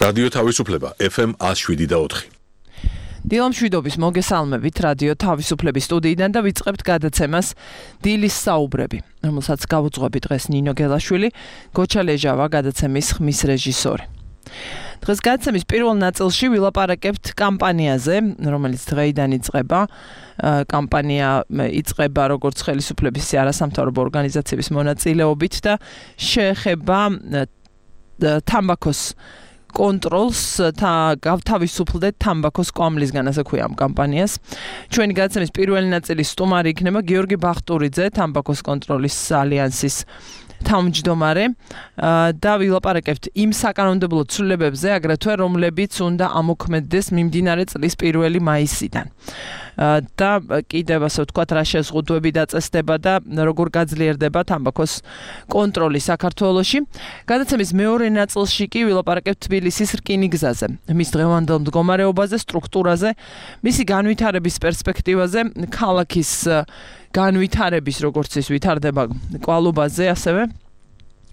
რადიო თავისუფლება FM 107.4. დილამ შვიდობის მოგესალმებით რადიო თავისუფლების სტუდიიდან და ვიწყებთ გადაცემას დილის საუბრები, რომელსაც გავუძღვები დღეს ნინო გელაშვილი, გოჩა ლეჟავა გადაცემის ხმის რეჟისორი. დღეს გადაცემის პირველ ნაწილში ვილაპარაკებთ კამპანიაზე, რომელიც დღეიდან იწყება. კამპანია იწყება როგორც ხელისუფლების არასამთავრობო ორგანიზაციების მონაწილეობით და შეეხება თამბაქოს კონტროლს გავთავისუფლდეთ თამბაქოს კვამლისგან, ასე ქვია ამ კამპანიას. ჩვენი გადაცემის პირველი ნაწილის სტუმარი იქნება გიორგი ბახტურიძე, თამბაქოს კონტროლის ალიანსის თავმჯდომარე და ვილაპარაკებთ იმ საკანონმდებლო ცვლილებებზე, აგრეთვე რომლებიც უნდა ამოქმედდეს მიმდინარე წლის 1 მაისიდან. და კიდევ ასე ვთქვათ, რა შეზღუდვები დაწესდება და როგორ გაძლიერდება თამბაქოს კონტროლი საქართველოში. გადაცემის მეორე ნაწილში კი ვილაპარაკებთ თბილისის რკინიგზაზე, მის დღევანდელ მდგომარეობაზე, სტრუქტურაზე, მისი განვითარების პერსპექტივაზე, ქალაქის განვითარების როგორც ის ვითარდება კვალობაზე ასევე.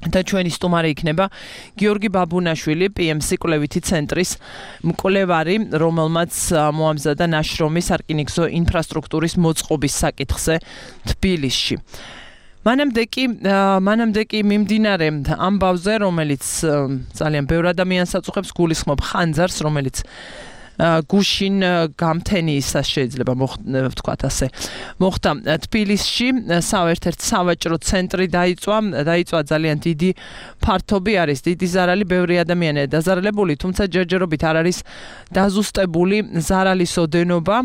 და ჩვენი სტუმარი იქნება გიორგი ბაბუნაშვილი, PMC კვლევითი ცენტრის მკვლევარი, რომელმაც მოამზადა ნაშრომი სარკინიგზო ინფრასტრუქტურის მოწყობის საკითხზე თბილისში. მანამდე კი მიმდინარე ამბავზე, რომელიც ძალიან ბევრ ადამიანს აწუხებს, გულისხმობ ხანძარს, რომელიც გუშინ გამთენიისას შეიძლება ვთქვათ ასე. მოხდა თბილისში, ერთ-ერთი სავაჭრო ცენტრი დაიწვა ძალიან დიდი ფართობი არის, დიდი ზარალი, ბევრი ადამიანია დაზარალებული, თუმცა ჯერჯერობით არ არის დაზუსტებული ზარალის ოდენობა.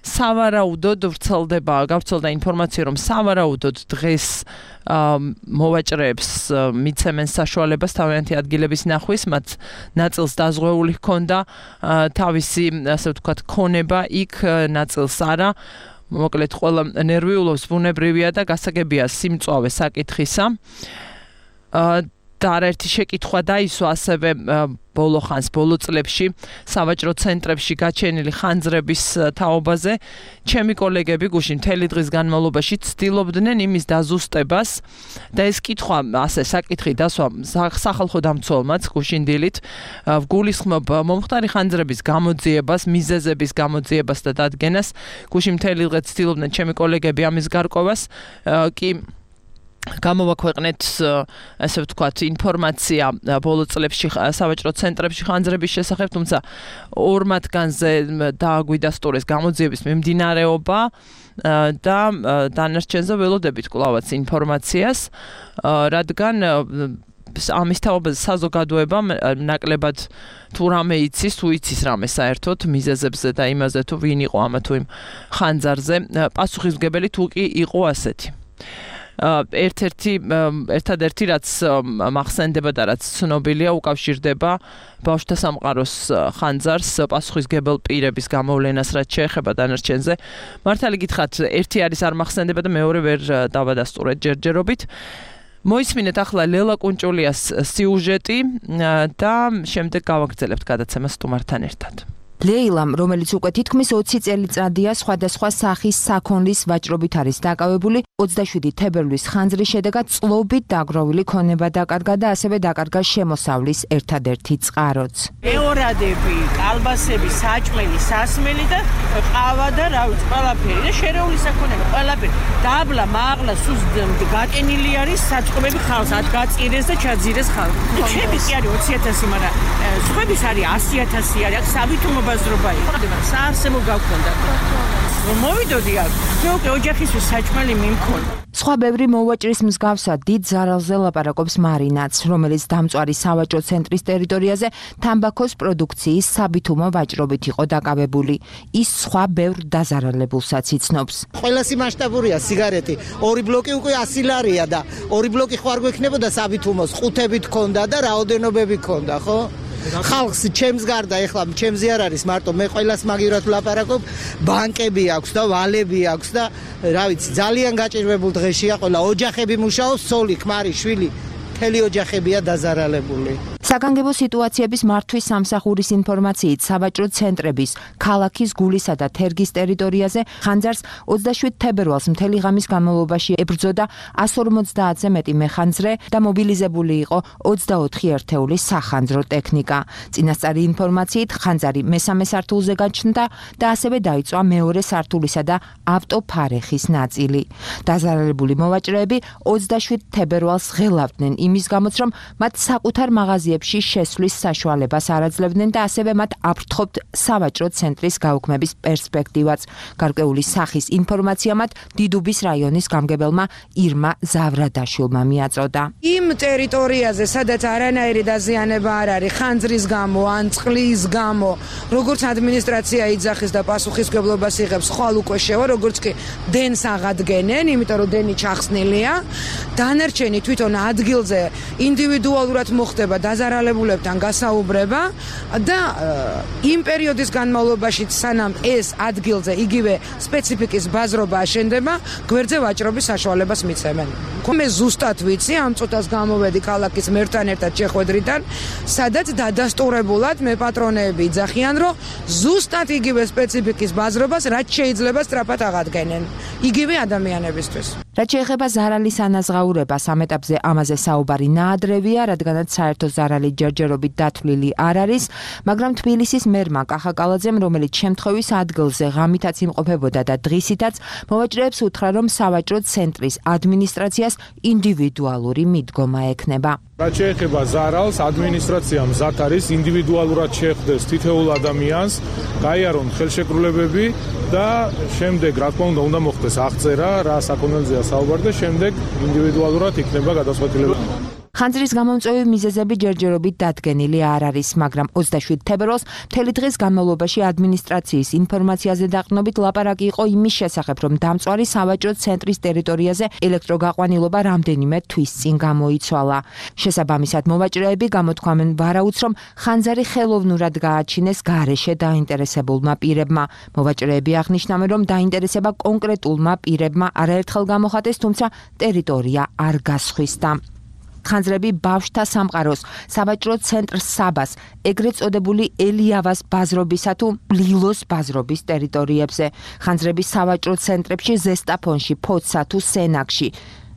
სავარაუდოდ გავრცელდა ინფორმაცია, რომ სავარაუდოდ დღეს მოვაჭრეებს მიცემენ საშუალებას თავიანთი ადგილების ნახვის, მათ ნაწილს დაზღვეული ჰქონდა თავისი, ასე ვთქვათ, ქონება იქ, ნაწილს არა. მოკლედ, ყველა ნერვიულობს, ბუნებრივია და გასაგებია სიმწვავე საკითხისა. და არაერთი შეკითხვა დაისვა ასევე ბოლო წლებში სავაჭრო ცენტრებში გაჩენილი ხანძრების თაობაზე. ჩემი კოლეგები გუშინ მთელი დღის განმავლობაში ცდილობდნენ იმის დაზუსტებას და ეს კითხვა, ასე საკითხი დასვა სახალხო დამცველმაც გუშინ დილით. ვგულისხმობ მომხდარი ხანძრების გამოძიებას, მიზეზების გამოძიებას და დადგენას. გუშინ მთელი დღე ცდილობდნენ ჩემი კოლეგები ამის გარკვევას, კი გამოვაქვეყნეთ, ასე ვთქვათ, ინფორმაცია ბოლო წლებში სავაჭრო ცენტრებში ხანძრების შესახებ, თუმცა ორ მათგანზე დააგვიდასტურეს გამოძიების მიმდინარეობა და დანარჩენზე ველოდებით კვლავაც ინფორმაციას, რადგან ამის თაობაზე საზოგადოება ნაკლებად თუ რამე იცის, თუ იცის რამე საერთოდ მიზეზებზე და იმაზე, თუ ვინ იყო ამა თუ იმ ხანძარზე, პასუხისმგებელი თუ კი იყო ასეთი. ერთადერთი რაც მახსენდება და რაც ცნობილია, უკავშირდება ბავშვთა სამყაროს ხანძარს, პასუხისმგებელ პირების გამოვლენას, რაც შეეხება დანარჩენზე. მართალი გითხრათ, ერთი არის არ მახსენდება და მეორე ვერ დავადასტურეთ ჯერჯერობით. მოისმინეთ ახლა ლელა კუნჭულიას სიუჟეტი და შემდეგ გავაგრძელებთ გადაცემას სტუმართან ერთად. ლეილამ, რომელიც უკვე თითქმის 20 წელიწადია სხვადასხვა სახის საქონლის ვაჭრობით არის დაკავებული, 27 თებერვლის ხანძრის შედეგად წლობით დაგროვილი ქონება დაკარგა და ასევე დაკარგა შემოსავლის ერთადერთი წყაროც. მეორადები, კალბასები, საჭმელი, სასმელი და ყავა და რა ვიცი, ყველაფერი და შერეული საქონელი, ყველაფერი. დაბლა, მაღლა, სულ გაკენილი არის საწყობები ხალხს, ათ გაწირეს და ჩაძირეს ხალხს. ჩემი კი არის 20,000, მაგრამ სხვების არის 100,000 არის, აქ სავითუმობა საარსებო გავქონდა. მოვიდოდი აქ, მე უკვე ოჯახისთვის საჭმელი მიმქონდა. სხვა ბევრი მოვაჭრის მსგავსად დიდ ზარალზე ლაპარაკობს მარინაც, რომელიც დამწვარი სავაჭრო ცენტრის ტერიტორიაზე თამბაქოს პროდუქციის საბითუმო ვაჭრობით იყო დაკავებული. ის სხვა ბევრ დაზარალებულსაც იცნობს. ყველასი მასშტაბურია სიგარეტი, 2 ბლოკი უკვე 100 ლარია და 2 ბლოკი ხო არ გვექნებოდა საბითუმოს, 5-ით ქონდა და რაოდენობები ქონდა, ხო? ხალხს ჩემს გარდა ეხლა ჩემზე არ არის მარტო, მე ყველას მაგივრად ვლაპარაკობ, ბანკები აქვს და ვალები აქვს და რა ვიცი, ძალიან გაჭირვებულ დღეშია ყველა, ოჯახები მუშაობს, ცოლი, ქმარი, შვილი, მთელი ოჯახებია დაზარალებული. საგანგებო სიტუაციების მართვის სამსახურის ინფორმაციით სავაჭრო ცენტრების ქალაქის გულისა და თერგის ტერიტორიაზე ხანძარს 27 თებერვალს მთელი ღამის განმავლობაში ებრძოდა 150-ზე მეტი მეხანძრე და მობილიზებული იყო 24 ერთეული სახანძრო ტექნიკა. წინასწარი ინფორმაციით ხანძარი მესამე სართულზე გაჩნდა და ასევე დაიწვა მეორე სართულისა და ავტოფარეხის ნაწილი. დაზარალებული მოვაჭრეები 27 თებერვალს ღელავდნენ იმის გამოც, რომ მათ საკუთარ მაღაზიებში შესვლის საშუალებას არ აძლევდნენ და ასევე მათ აფრთხობთ სავაჭრო ცენტრის გაუქმების პერსპექტივაც. გარკვეული სახის ინფორმაცია მათ დიდუბის რაიონის გამგებელმა ირმა ზავრადაშვილმა მიაწოდა. იმ ტერიტორიაზე, სადაც არანაირი დაზიანება არ არის, ხანძრის გამო, ან წყლის გამო, როგორც ადმინისტრაცია იძახის და პასუხისმგებლობას იღებს, ხვალ უკვე შევა, როგორც კი დენს აღადგენენ, იმიტომ რომ დენი ჩახსნილია. დანარჩენი თვითონ ადგილზე ინდივიდუალურად მოხდება დაზარალებულებთან გასაუბრება და იმ პერიოდის განმავლობაში, სანამ ეს ადგილზე იგივე სპეციფიკის ბაზრობა აშენდება, გვერდზე ვაჭრობის საშუალებას მიცემენ. მე ზუსტად ვიცი, ამ წუთას გამოვედი ქალაქის მერთან ერთად შეხვედრიდან, სადაც დადასტურებულად მე პატრონეები იძახიან, რომ ზუსტად იგივე სპეციფიკის ბაზრობას რაც შეიძლება სწრაფად აღადგენენ, იგივე ადამიანებისთვის. რაც შეეხება ზარალის ანაზღაურებას, ამ ეტაპზე ამაზე საუბარი ნაადრევია, რადგანაც საერთო ზარალი ჯერჯერობით დათვლილი არ არის, მაგრამ თბილისის მერმა კახა კალაძემ, რომელიც შემთხვევის ადგილზე ღამითაც იმყოფებოდა და დღისითაც, მოვაჭრეებს უთხრა, რომ სავაჭრო ცენტრის ადმინისტრაციას ინდივიდუალური მიდგომა ექნება. რაც შეეხება ზარალს, ადმინისტრაცია მზად არის ინდივიდუალურად შეხვდეს თითოეულ ადამიანს, გაიარონ ხელშეკრულებები და შემდეგ, რა თქმა უნდა, უნდა მოხდეს აღწერა, რა საკონელზეა საუბარი და შემდეგ ინდივიდუალურად იქნება გადაწყვეტილება. ხანძრის გამომწვევი მიზეზები ჯერჯერობით დადგენილი არ არის, მაგრამ 27 თებერვალს მთელი დღის განმავლობაში ადმინისტრაციის ინფორმაციაზე დაყრდნობით ლაპარაკი იყო იმის შესახებ, რომ დამწვარი სავაჭრო ცენტრის ტერიტორიაზე ელექტროგაყვანილობა რამდენიმე თვის წინ გამოიცვალა. შესაბამისად, მოვაჭრეები გამოთქვამენ ვარაუდს, რომ ხანძარი ხელოვნურად გააჩინეს გარეშე დაინტერესებულმა პირებმა. მოვაჭრეები აღნიშნავენ, რომ დაინტერესება კონკრეტულმა პირებმა არაერთხელ გამოხატეს, თუმცა ტერიტორია არ გასხვისდა. ხანძრები ბავშვთა სამყაროს, სავაჭრო ცენტრ საბას, ეგრეთ წოდებული ელიავას ბაზრობისა თუ ლილოს ბაზრობის ტერიტორიებზე. ხანძრები სავაჭრო ცენტრებში, ზესტაფონში, ფოცსა თუ სენაკში.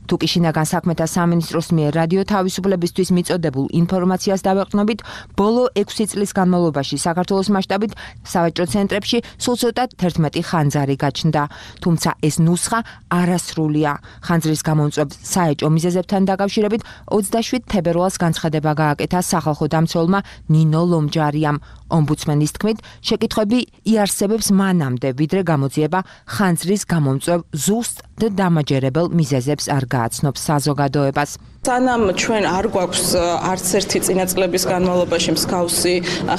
თუკი შინაგან საქმეთა სამინისტროს მიერ რადიო თავისუფლებისთვის მიწოდებულ ინფორმაციას დავეყრდნობით, ბოლო 6 წლის განმავლობაში საქართველოს მასშტაბით სავაჭრო ცენტრებში სულ ცოტა 11 ხანძარი გაჩნდა. თუმცა ეს ნუსხა არასრულია. ხანძრის გამომწვევ საეჭვო მიზეზებთან დაკავშირებით 27 თებერვალს განცხადება გააკეთა სახალხო დამცველმა ნინო ლომჯარიამ. ომბუდსმენის თქმით, შეკითხვები იარსებებს მანამდე, ვიდრე გამოძიება ხანძრის გამომწვევ ზუსტ და დამაჯერებელ მიზეზებს არ გააცნობს საზოგადოებას. სანამ ჩვენ არ გვაქვს არც ერთი წინა წლების განმავლობაში მსგავსი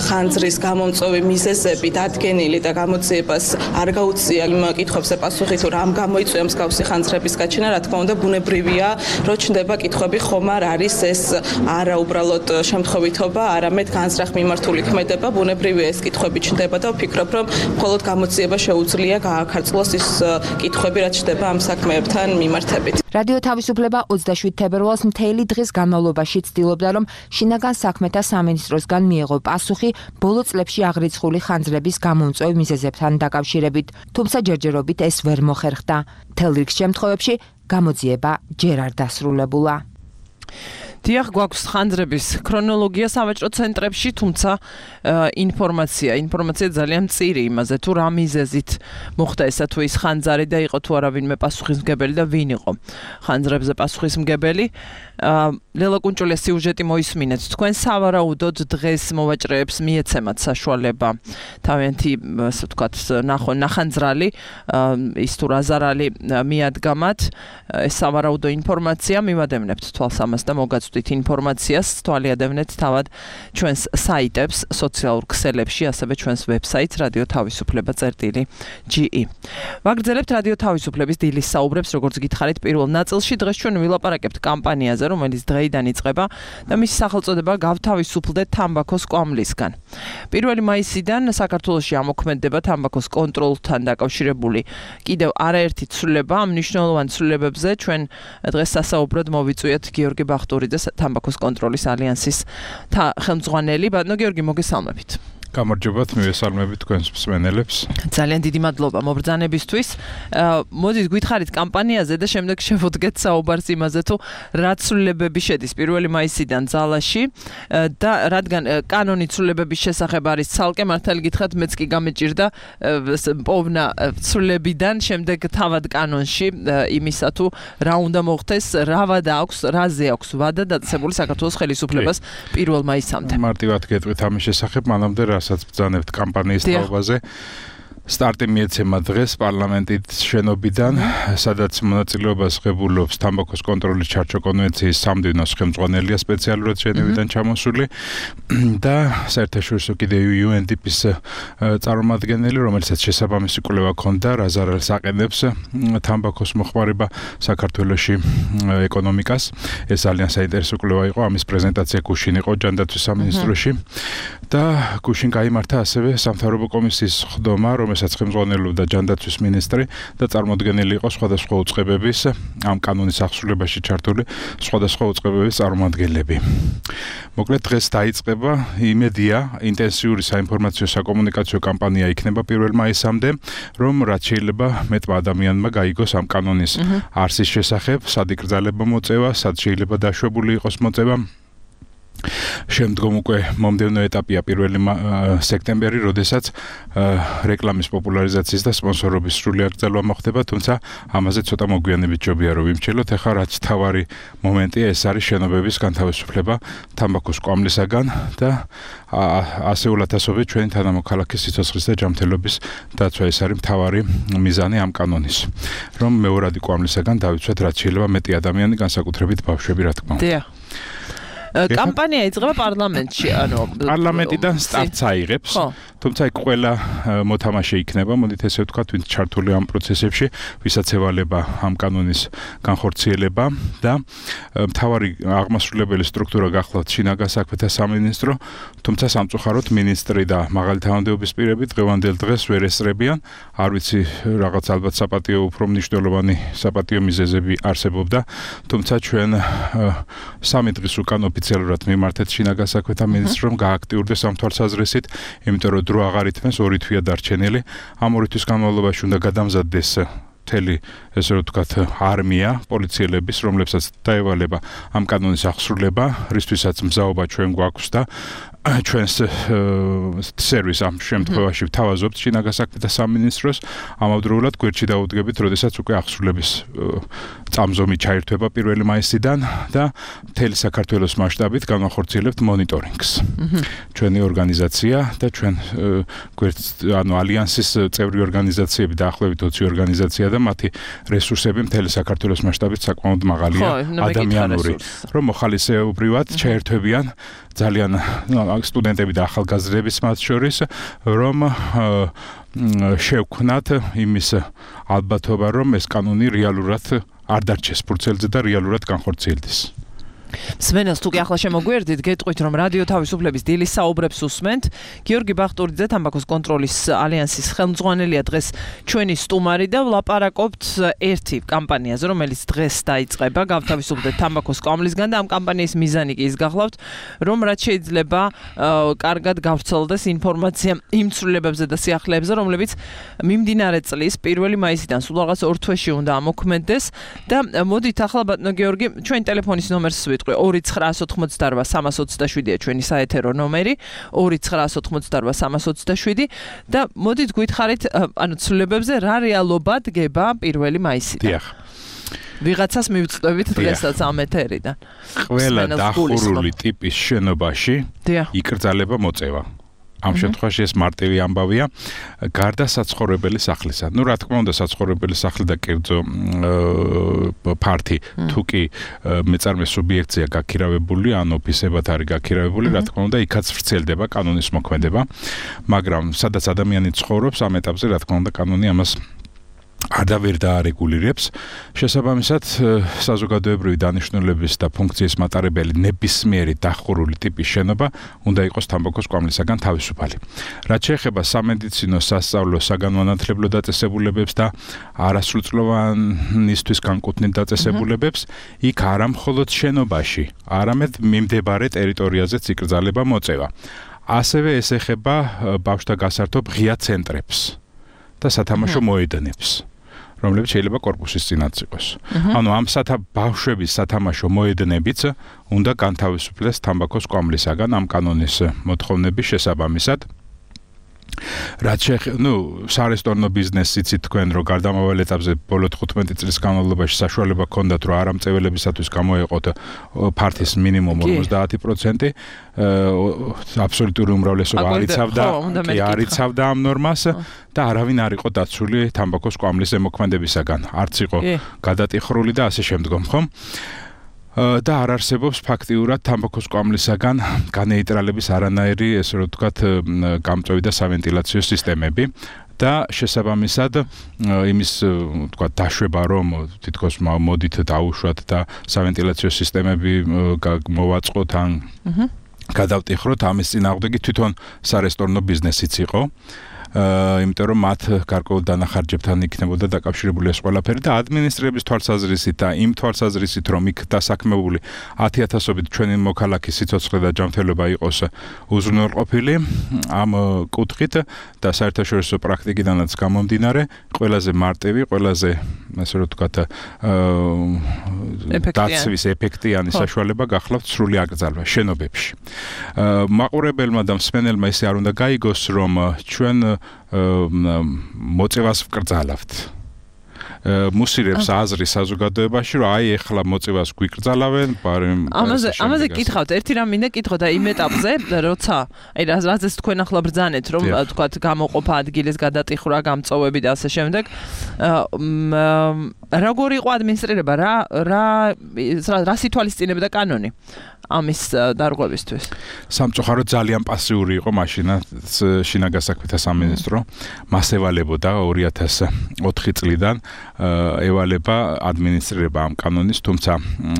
ხანძრის გამომწვევი მიზეზები დადგენილი და გამოძიებას არ გაუწია იმ კითხვებზე პასუხი, თუ რამ გამოიწვია მსგავსი ხანძრების გაჩენა, რა თქმა უნდა, ბუნებრივია, რომ ჩნდება კითხვები, ხომ არ არის ეს არა უბრალოდ შემთხვევითობა, არამედ განზრახ მიმართული ქმედება, ბუნებრივია ეს კითხვები ჩნდება და ვფიქრობ, რომ მხოლოდ გამოძიება შეუძლია გააქარწყლოს ის კითხვები, რაც ჩნდება ამ საქმეებთან მიმართებით. რადიო თავისუფლება 27 თებერვალს მთელი დღის განმავლობაში ცდილობდა, რომ შინაგან საქმეთა სამინისტროსგან მიეღო პასუხი ბოლო წლებში აღრიცხული ხანძრების გამომწვევ მიზეზებთან დაკავშირებით. თუმცა ჯერჯერობით ეს ვერ მოხერხდა. მთელ რიგ შემთხვევებში გამოძიება ჯერ არ დასრულებულა. დიახ, გვაქვს ხანძრების ქრონოლოგია სავაჭრო ცენტრებში, თუმცა ინფორმაცია ძალიან მწირი იმაზე, თუ რა მიზეზით მოხდა ესა თუ ის ხანძარი და იყო თუ არა ვინმე პასუხისმგებელი და ვინ იყო ხანძრებზე პასუხისმგებელი. ლელა კუნჭულიას სიუჟეტი მოისმინეთ. თქვენ სავარაუდოდ დღეს მოვაჭრეებს მიეცემათ საშუალება თავიანთი, ასე ვთქვათ, ნახანძრალი, ის თუ რა ზარალი მიადგამათ, ეს სავარაუდო ინფორმაცია მივადევნებთ თვალს ამას და მოგაწვდით ინფორმაციას, თვალიადევნეთ თავად ჩვენს საიტებს, სოციალურ ქსელებში, ასევე ჩვენს ვებსაიტს radiotavisupleba.ge. ვაგრძელებთ რადიო თავისუფლების დილის საუბრებს, როგორც გითხარით პირველ ნაწილში. დღეს ჩვენ ვილაპარაკებთ კამპანიაზე, რომელიც დღეიდან იწყება და მისი სახელწოდება გავთავისუფლდეთ თამბაქოს კვამლისგან. 1 მაისიდან საქართველოში ამოქმედდება თამბაქოს კონტროლთან დაკავშირებული კიდევ არაერთი ცვლილება. ამ მნიშვნელოვან ცვლილებებზე ჩვენ დღეს სასაუბროდ მოვიწვიეთ გიორგი ბახტურიძეს, თამბაქოს კონტროლის ალიანსის ხელმძღვანელი. ბატონო გიორგი, მოგესალმებით. გამარჯობათ, მივესალმებით თქვენს მსმენელებს. ძალიან დიდი მადლობა მობრძანებისთვის. მოდით გითხარით კამპანიაზე და შემდეგ შევუდგეთ საუბარს იმაზე, თუ რა ცვლილებები შედის 1 მაისიდან ძალაში და რადგან კანონი ცვლილებების შესახებ არის ცალკე, მართალი გითხრათ, მეც კი გამეჭირდა პოვნა ცვლილებიდან შემდეგ თავად კანონში იმისა თუ რა უნდა მოხდეს, რა ვადა აქვს, რაზე აქვს ვადა დაწესებული საქართველოს ხელისუფლებას 1 მაისამდე. მარტივად გეტყვით ამის შესახებ, მანამდე რასაც ბრძანებთ კამპანიის თაობაზე. სტარტი მიეცემა დღეს პარლამენტის შენობიდან, სადაც მონაწილეობას ღებულობს თამბაქოს კონტროლის ჩარჩო კონვენციის სამდივნოს ხელმძღვანელია სპეციალურად ჟენევიდან ჩამოსული და საერთაშორისო კიდევ UNDP-ის წარმომადგენელი, რომელსაც შესაბამისი კვლევა ჰქონდა, რა ზარალს აყენებს თამბაქოს მოხმარება საქართველოში ეკონომიკას. ეს ძალიან საინტერესო კვლევა იყო, ამის პრეზენტაცია გუშინ იყო ჯანდაცვის სამინისტროში და გუშინ გაიმართა ასევე სამთავრობო კომისიის ხდომა, რომელსაც ხელმძღვანელობდა ჯანდაცვის მინისტრი და წარმოადგენელი იყო სხვადასხვა უწყებების ამ კანონის აღსრულებაში ჩართული სხვადასხვა უწყებების წარმომადგენლები. მოკლედ დღეს დაიწყება იმედია ინტენსიური საინფორმაციო საკომუნიკაციო კამპანია იქნება 1 მაისამდე, რომ რაც შეიძლება მეტმა ადამიანმა გაიგოს ამ კანონის არსის შესახებ, სად იკრძალება მოწევა, სად შეიძლება დაშვებული იყოს მოწევა. შემდგომ უკვე მომდევნო ეტაპია 1 სექტემბერი, როდესაც რეკლამის პოპულარიზაციის და სპონსორობის სრული აკრძალვა მოხდება, თუმცა ამაზე ცოტა მოგვიანებით ჯობია რომ ვიმჩნევლოთ. ახლა რაც თავარი მომენტია, ეს არის შენობების განთავისუფლება თამბაქოს კვამლისაგან და ასეულად ასობით ჩვენი თანამოქალაქის სიცოცხლის და ჯანმრთელობის დაცვა. ეს არის მთავარი მიზანი ამ კანონის, რომ მეორადი კვამლისაგან დავიცვათ რაც შეიძლება მეტი ადამიანი, განსაკუთრებით ბავშვები, რა თქმა უნდა. კამპანია იწყება პარლამენტში, ანუ პარლამენტიდან სტარტს აიღებს, თუმცა იქ ყველა მოთამაშე იქნება, მოდით ესე ვთქვათ, ვინც ჩართული ამ პროცესებში, ვისაც ევალება ამ კანონის განხორციელება და მთავარი აღმასრულებელი სტრუქტურა გახლავთ შინაგან საქმეთა სამინისტრო, თუმცა სამწუხაროდ მინისტრი და მაღალი თანამდებობის პირები დღევანდელ დღეს ვერ ესწრებიან, არ ვიცი, რაღაც ალბათ საპატიო უფრო მნიშვნელოვანი საპატიო მიზეზები არსებობდა, თუმცა ჩვენ 3 დღის უკან ოფიციალურად მიმართეთ შინაგან საქმეთა მინისტრს, რომ გააქტიურდეს ამ თვალსაზრისით, იმიტომ რომ დრო აღარ ითმეს, 2 თვეა დარჩენილი. ამ 2 თვის განმავლობაში უნდა გადამზადდეს მთელი, ესე ვთქვათ, არმია პოლიციელების, რომლებსაც დაევალება ამ კანონის აღსრულება, რისთვისაც მზაობა ჩვენ გვაქვს და ჩვენს სერვის ამ შემთხვევაში ვთავაზობთ შინაგან საქმეთა სამინისტროს, ამავდროულად გვერდში დაუდგებით, როდესაც უკვე აღსრულების წამზომი ჩაირთვება 1 მაისიდან და მთელი საქართველოს მასშტაბით განახორციელებთ მონიტორინგს. ჩვენი ორგანიზაცია და ჩვენ ანუ ალიანსის წევრი ორგანიზაციები დაახლოებით 20 ორგანიზაცია და მათი რესურსები მთელი საქართველოს მასშტაბით საკმაოდ მაღალია, ადამიანური, რომ მოხალისეობრივად ჩაერთვებიან ძალიან სტუდენტები და ახალგაზრდების მათ შორის, რომ შევქმნათ იმის ალბათობა, რომ ეს კანონი რეალურად არ დარჩეს ფურცელზე და რეალურად განხორციელდეს. სვენელს თუ კი ახლა შემოგვერდით, გეტყვით რომ რადიო თავისუფლების დილის საუბრებს უსმენთ. გიორგი ბახტურიძე, თამბაქოს კონტროლის ალიანსის ხელმძღვანელია დღეს ჩვენი სტუმარი და ვლაპარაკობთ ერთი კამპანიაზე, რომელიც დღეს დაიწყება, გავთავისუფლდეთ თამბაქოს კვამლისგან და ამ კამპანიის მიზანი კი ის გახლავთ, რომ რაც შეიძლება კარგად გავრცელდეს ინფორმაცია იმ ცვლილებებზე და სიახლეებზე, რომლებიც მიმდინარე წლის 1 მაისიდან სულ რაღაც 2 თვეში უნდა ამოქმედდეს და მოდით ახლა ბატონო გიორგი, ჩვენი ტელეფონის ნომერს 2988327-327-ია ჩვენი საეთერო ნომერი, 2988327 და მოდით გითხარით, ანუ ცვლილებებზე რა რეალობა დგება 1 მაისიდან. დიახ. ვიღაცას მივწვევით დღესაც ამ ეთერიდან. ყველა დახურული ტიპის შენობაში იკრძალება მოწევა. ამ შემთხვევაში ეს მარტივი ამბავია, გარდა საცხოვრებელი სახლისა. ნუ რა თქმა უნდა, საცხოვრებელი სახლი და კერძო ფართი თუ კი მეწარმე სუბიექტია გაქირავებული, ან ოფისებად არის გაქირავებული, რა თქმა უნდა, იქაც ვრცელდება კანონის მოქმედება, მაგრამ სადაც ადამიანი ცხოვრობს, ამ ეტაპზე რა თქმა უნდა კანონი ამას არ ვერ დაარეგულირებს შესაბამისად საზოგადოებრივი დანიშნულების და ფუნქციის მატარებელი ნებისმიერი დახურული ტიპის შენობა უნდა იყოს თამბაქოს კვამლისაგან თავისუფალი. რაც შეეხება სამედიცინო, სასწავლო, საგანმანათლებლო დაწესებულებებს და არასრულწლოვანისთვის განკუთვნილ დაწესებულებებს, იქ არა მხოლოდ შენობაში, არამედ მიმდებარე ტერიტორიაზეც იკრძალება მოწევა. ასევე ეს ეხება ბავშვთა გასართობ ღია ცენტრებს და სათამაშო მოედნებს, რომლებიც შეიძლება კორპუსის წინაც იყოს. ანუ ამ ბავშვების სათამაშო მოედნებიც უნდა განთავისუფლდეს თამბაქოს კვამლისაგან ამ კანონის მოთხოვნების შესაბამისად. რაც სარესტორნო ბიზნესი იცით თქვენ, რომ გარდამავალ ეტაპზე ბოლო 15 წლის განმავლობაში საშუალება ჰქონდათ, რომ არამწეველებისათვის გამოეყოთ ფართის მინიმუმ 50%, აბსოლუტური უმრავლესობა არ იცავდა ამ ნორმას და არავინ არ იყო დაცული თამბაქოს კვამლის ზემოქმედებისაგან. არც იყო გადატიხრული და ასე შემდგომ, ხომ? და არ არსებობს ფაქტიურად თამბაქოს კვამლისაგან განეიტრალების არანაირი, ესე რომ ვთქვათ, გამწვევი და სავენტილაციო სისტემები და შესაბამისად იმის ვთქვათ დაშვება, რომ თითქოს მოდით დაუშვათ და სავენტილაციო სისტემები მოვაწყოთ ან გადავტიხროთ, ამის წინააღმდეგი თვითონ სარესტორნო ბიზნესიც იყო. იმიტომ რომ მათ გარკვეულ დანახარჯებთან იქნებოდა დაკავშირებული ეს ყველაფერი და ადმინისტრების თვალსაზრისით და იმ თვალსაზრისით, რომ იქ დასაქმებული 10,000-ობით ჩვენი მოქალაქის სიცოცხლე და ჯანმრთელობა იყოს უზრუნველყოფილი, ამ კუთხით და საერთაშორისო პრაქტიკიდანაც გამომდინარე, ყველაზე მარტივი, ყველაზე ასე რომ ვთქვათ, დაცვის ეფექტიანი საშუალება გახლავთ სრული აკრძალვა შენობებში. მაყურებელმა და მსმენელმა ისე არ უნდა გაიგოს, რომ ჩვენ მოწევას ვკრძალავთ. მუსირებს აზრი საზოგადოებაში, რომ აი ეხლა მოწევას გვიკრძალავენ, ამაზე კითხავთ, ერთი რამ მინდა კითხოთ, აი იმ ეტაპზე, როცა აი რაზეც თქვენ ახლა ბრძანეთ, რომ თქვათ გამოყოფა ადგილის გადატიხრა, გამწოვები და ასე შემდეგ, როგორ იყო ადმინისტრირება, რა სითვალისწინებდა კანონი ამის დარღვევისთვის? სამწუხაროდ ძალიან პასიური იყო მაშინაც შინაგასაქმეთა სამინისტრო, მას ევალებოდა 2004 წლიდან ევალება ადმინისტრირება ამ კანონის, თუმცა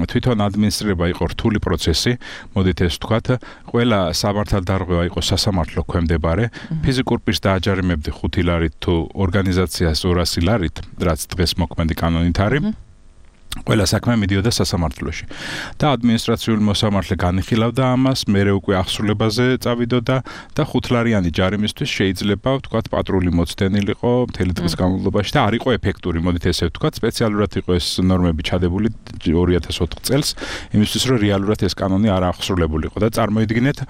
თვითონ ადმინისტრირება იყო რთული პროცესი, მოდით ეს ვთქვათ, ყველა სამართალდარღვევა იყო სასამართლო ქვემდებარე, ფიზიკურ პირს დააჯარიმებდი 5 ლარით თუ ორგანიზაციას 200 ლარით, რაც დღეს მოქმედი კანონით არის. ყველა საქმე მიდიოდა სასამართლოში და ადმინისტრაციული მოსამართლე განიხილავდა ამას, მერე უკვე ახსრულებაზე წავიდოდა და 5 ლარიანი ჯარიმისთვის შეიძლება ვთქვათ პატრული მოცდენილიყო მთელი დღის განმავლობაში და არ იყო ეფექტური, მოდით ესე ვთქვათ, სპეციალურად იყო ეს ნორმები ჩადებული 2004 წელს, იმისთვის რომ რეალურად ეს კანონი არ ახსრულებულიყო და წარმოიდგინეთ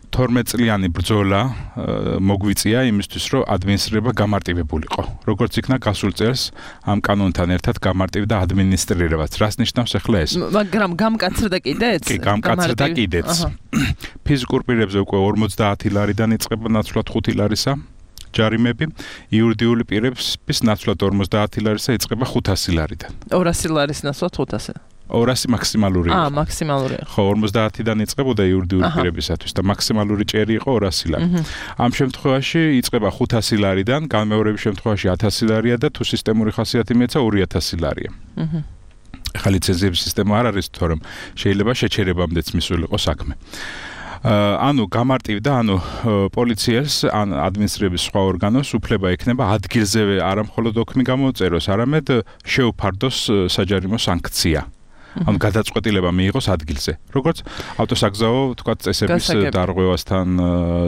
12 წლიანი ბრძოლა მოგვიწია იმისთვის, რომ ადმინისტრირება გამარტივებულიყო. როგორც იქნა გასულ წელს ამ კანონთან ერთად გამარტივდა ადმინისტრირებაც. რას ნიშნავს ახლა ეს? მაგრამ გამკაცრდა კიდეც? კი, გამკაცრდა კიდეც. ფიზიკურ პირებზე უკვე 50 ლარიდან იწყება ნაცვლად 5 ლარისა ჯარიმები, იურიდიული პირების ნაცვლად 50 ლარისა იწყება 500 ლარიდან. 200 ლარის ნაცვლად 500. 200 მაქსიმალური იყო. მაქსიმალური. ხო, 50-დან იწყებოდა იურიდიული პირებისათვის და მაქსიმალური ჭერი იყო 200 ლარი. ამ შემთხვევაში იწყება 500 ლარიდან, განმეორების შემთხვევაში 1000 ლარია და თუ სისტემური ხასიათი მიეცა 2000 ლარია. ახლა ლიცენზიების სისტემა არ არის, თორემ შეიძლება შეჩერებამდეც მისულიყო საქმე. ანუ გამარტივდა, ანუ პოლიციას ან ადმინისტრების სხვა ორგანოს უფლება ექნება ადგილზევე არა მხოლოდ ოქმი გამოწეროს, არამედ შეუფარდოს საჯარიმო სანქცია. ანუ გადაწყვეტილება მიიღოს ადგილზე. როგორც ავტოსაგზაო, ვთქვათ, წესების დარღვევასთან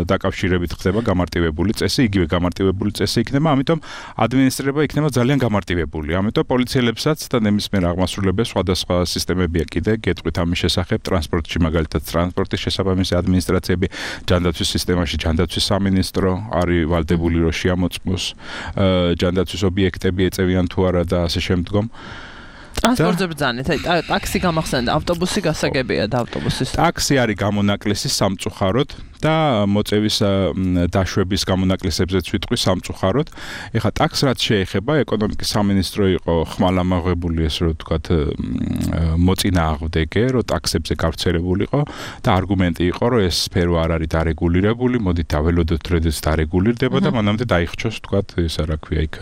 დაკავშირებით ხდება გამარტივებული წესი, იგივე გამარტივებული წესი იქნება, ამიტომ ადმინისტრირება იქნება ძალიან გამარტივებული. ამიტომ პოლიციელებსაც და ნებისმიერ აღმასრულებელს სხვადასხვა სისტემებია კიდე გეტყვით ამის შესახებ, ტრანსპორტში მაგალითად ტრანსპორტის შესაბამისი ადმინისტრაციები, ჯანდაცვის სისტემაში ჯანდაცვის სამინისტრო არის ვალდებული რომ შეამოწმოს ჯანდაცვის ობიექტები ეწევიან თუ არა და ასე შემდგომ. ტრანსპორტზე ბრძანეთ, აი ტაქსი გამახსენდა, ავტობუსი გასაგებია და ავტობუსის. ტაქსი არის გამონაკლისი სამწუხაროდ, და მოწევის დაშვების გამონაკლისებზეც ვიტყვი სამწუხაროდ. ეხლა ტაქს რაც შეეხება ეკონომიკის სამინისტრო იყო ხმალამაღებული ესე რომ ვთქვათ მოწინააღმდეგე, რომ ტაქსებზე გავრცელებულიყო და არგუმენტი იყო, რომ ეს სფერო არ არის დარეგულირებული, მოდით დაველოდოთ როდესაც დარეგულირდება და მანამდე დაიხჩოს ვთქვათ ეს რა ქვია იქ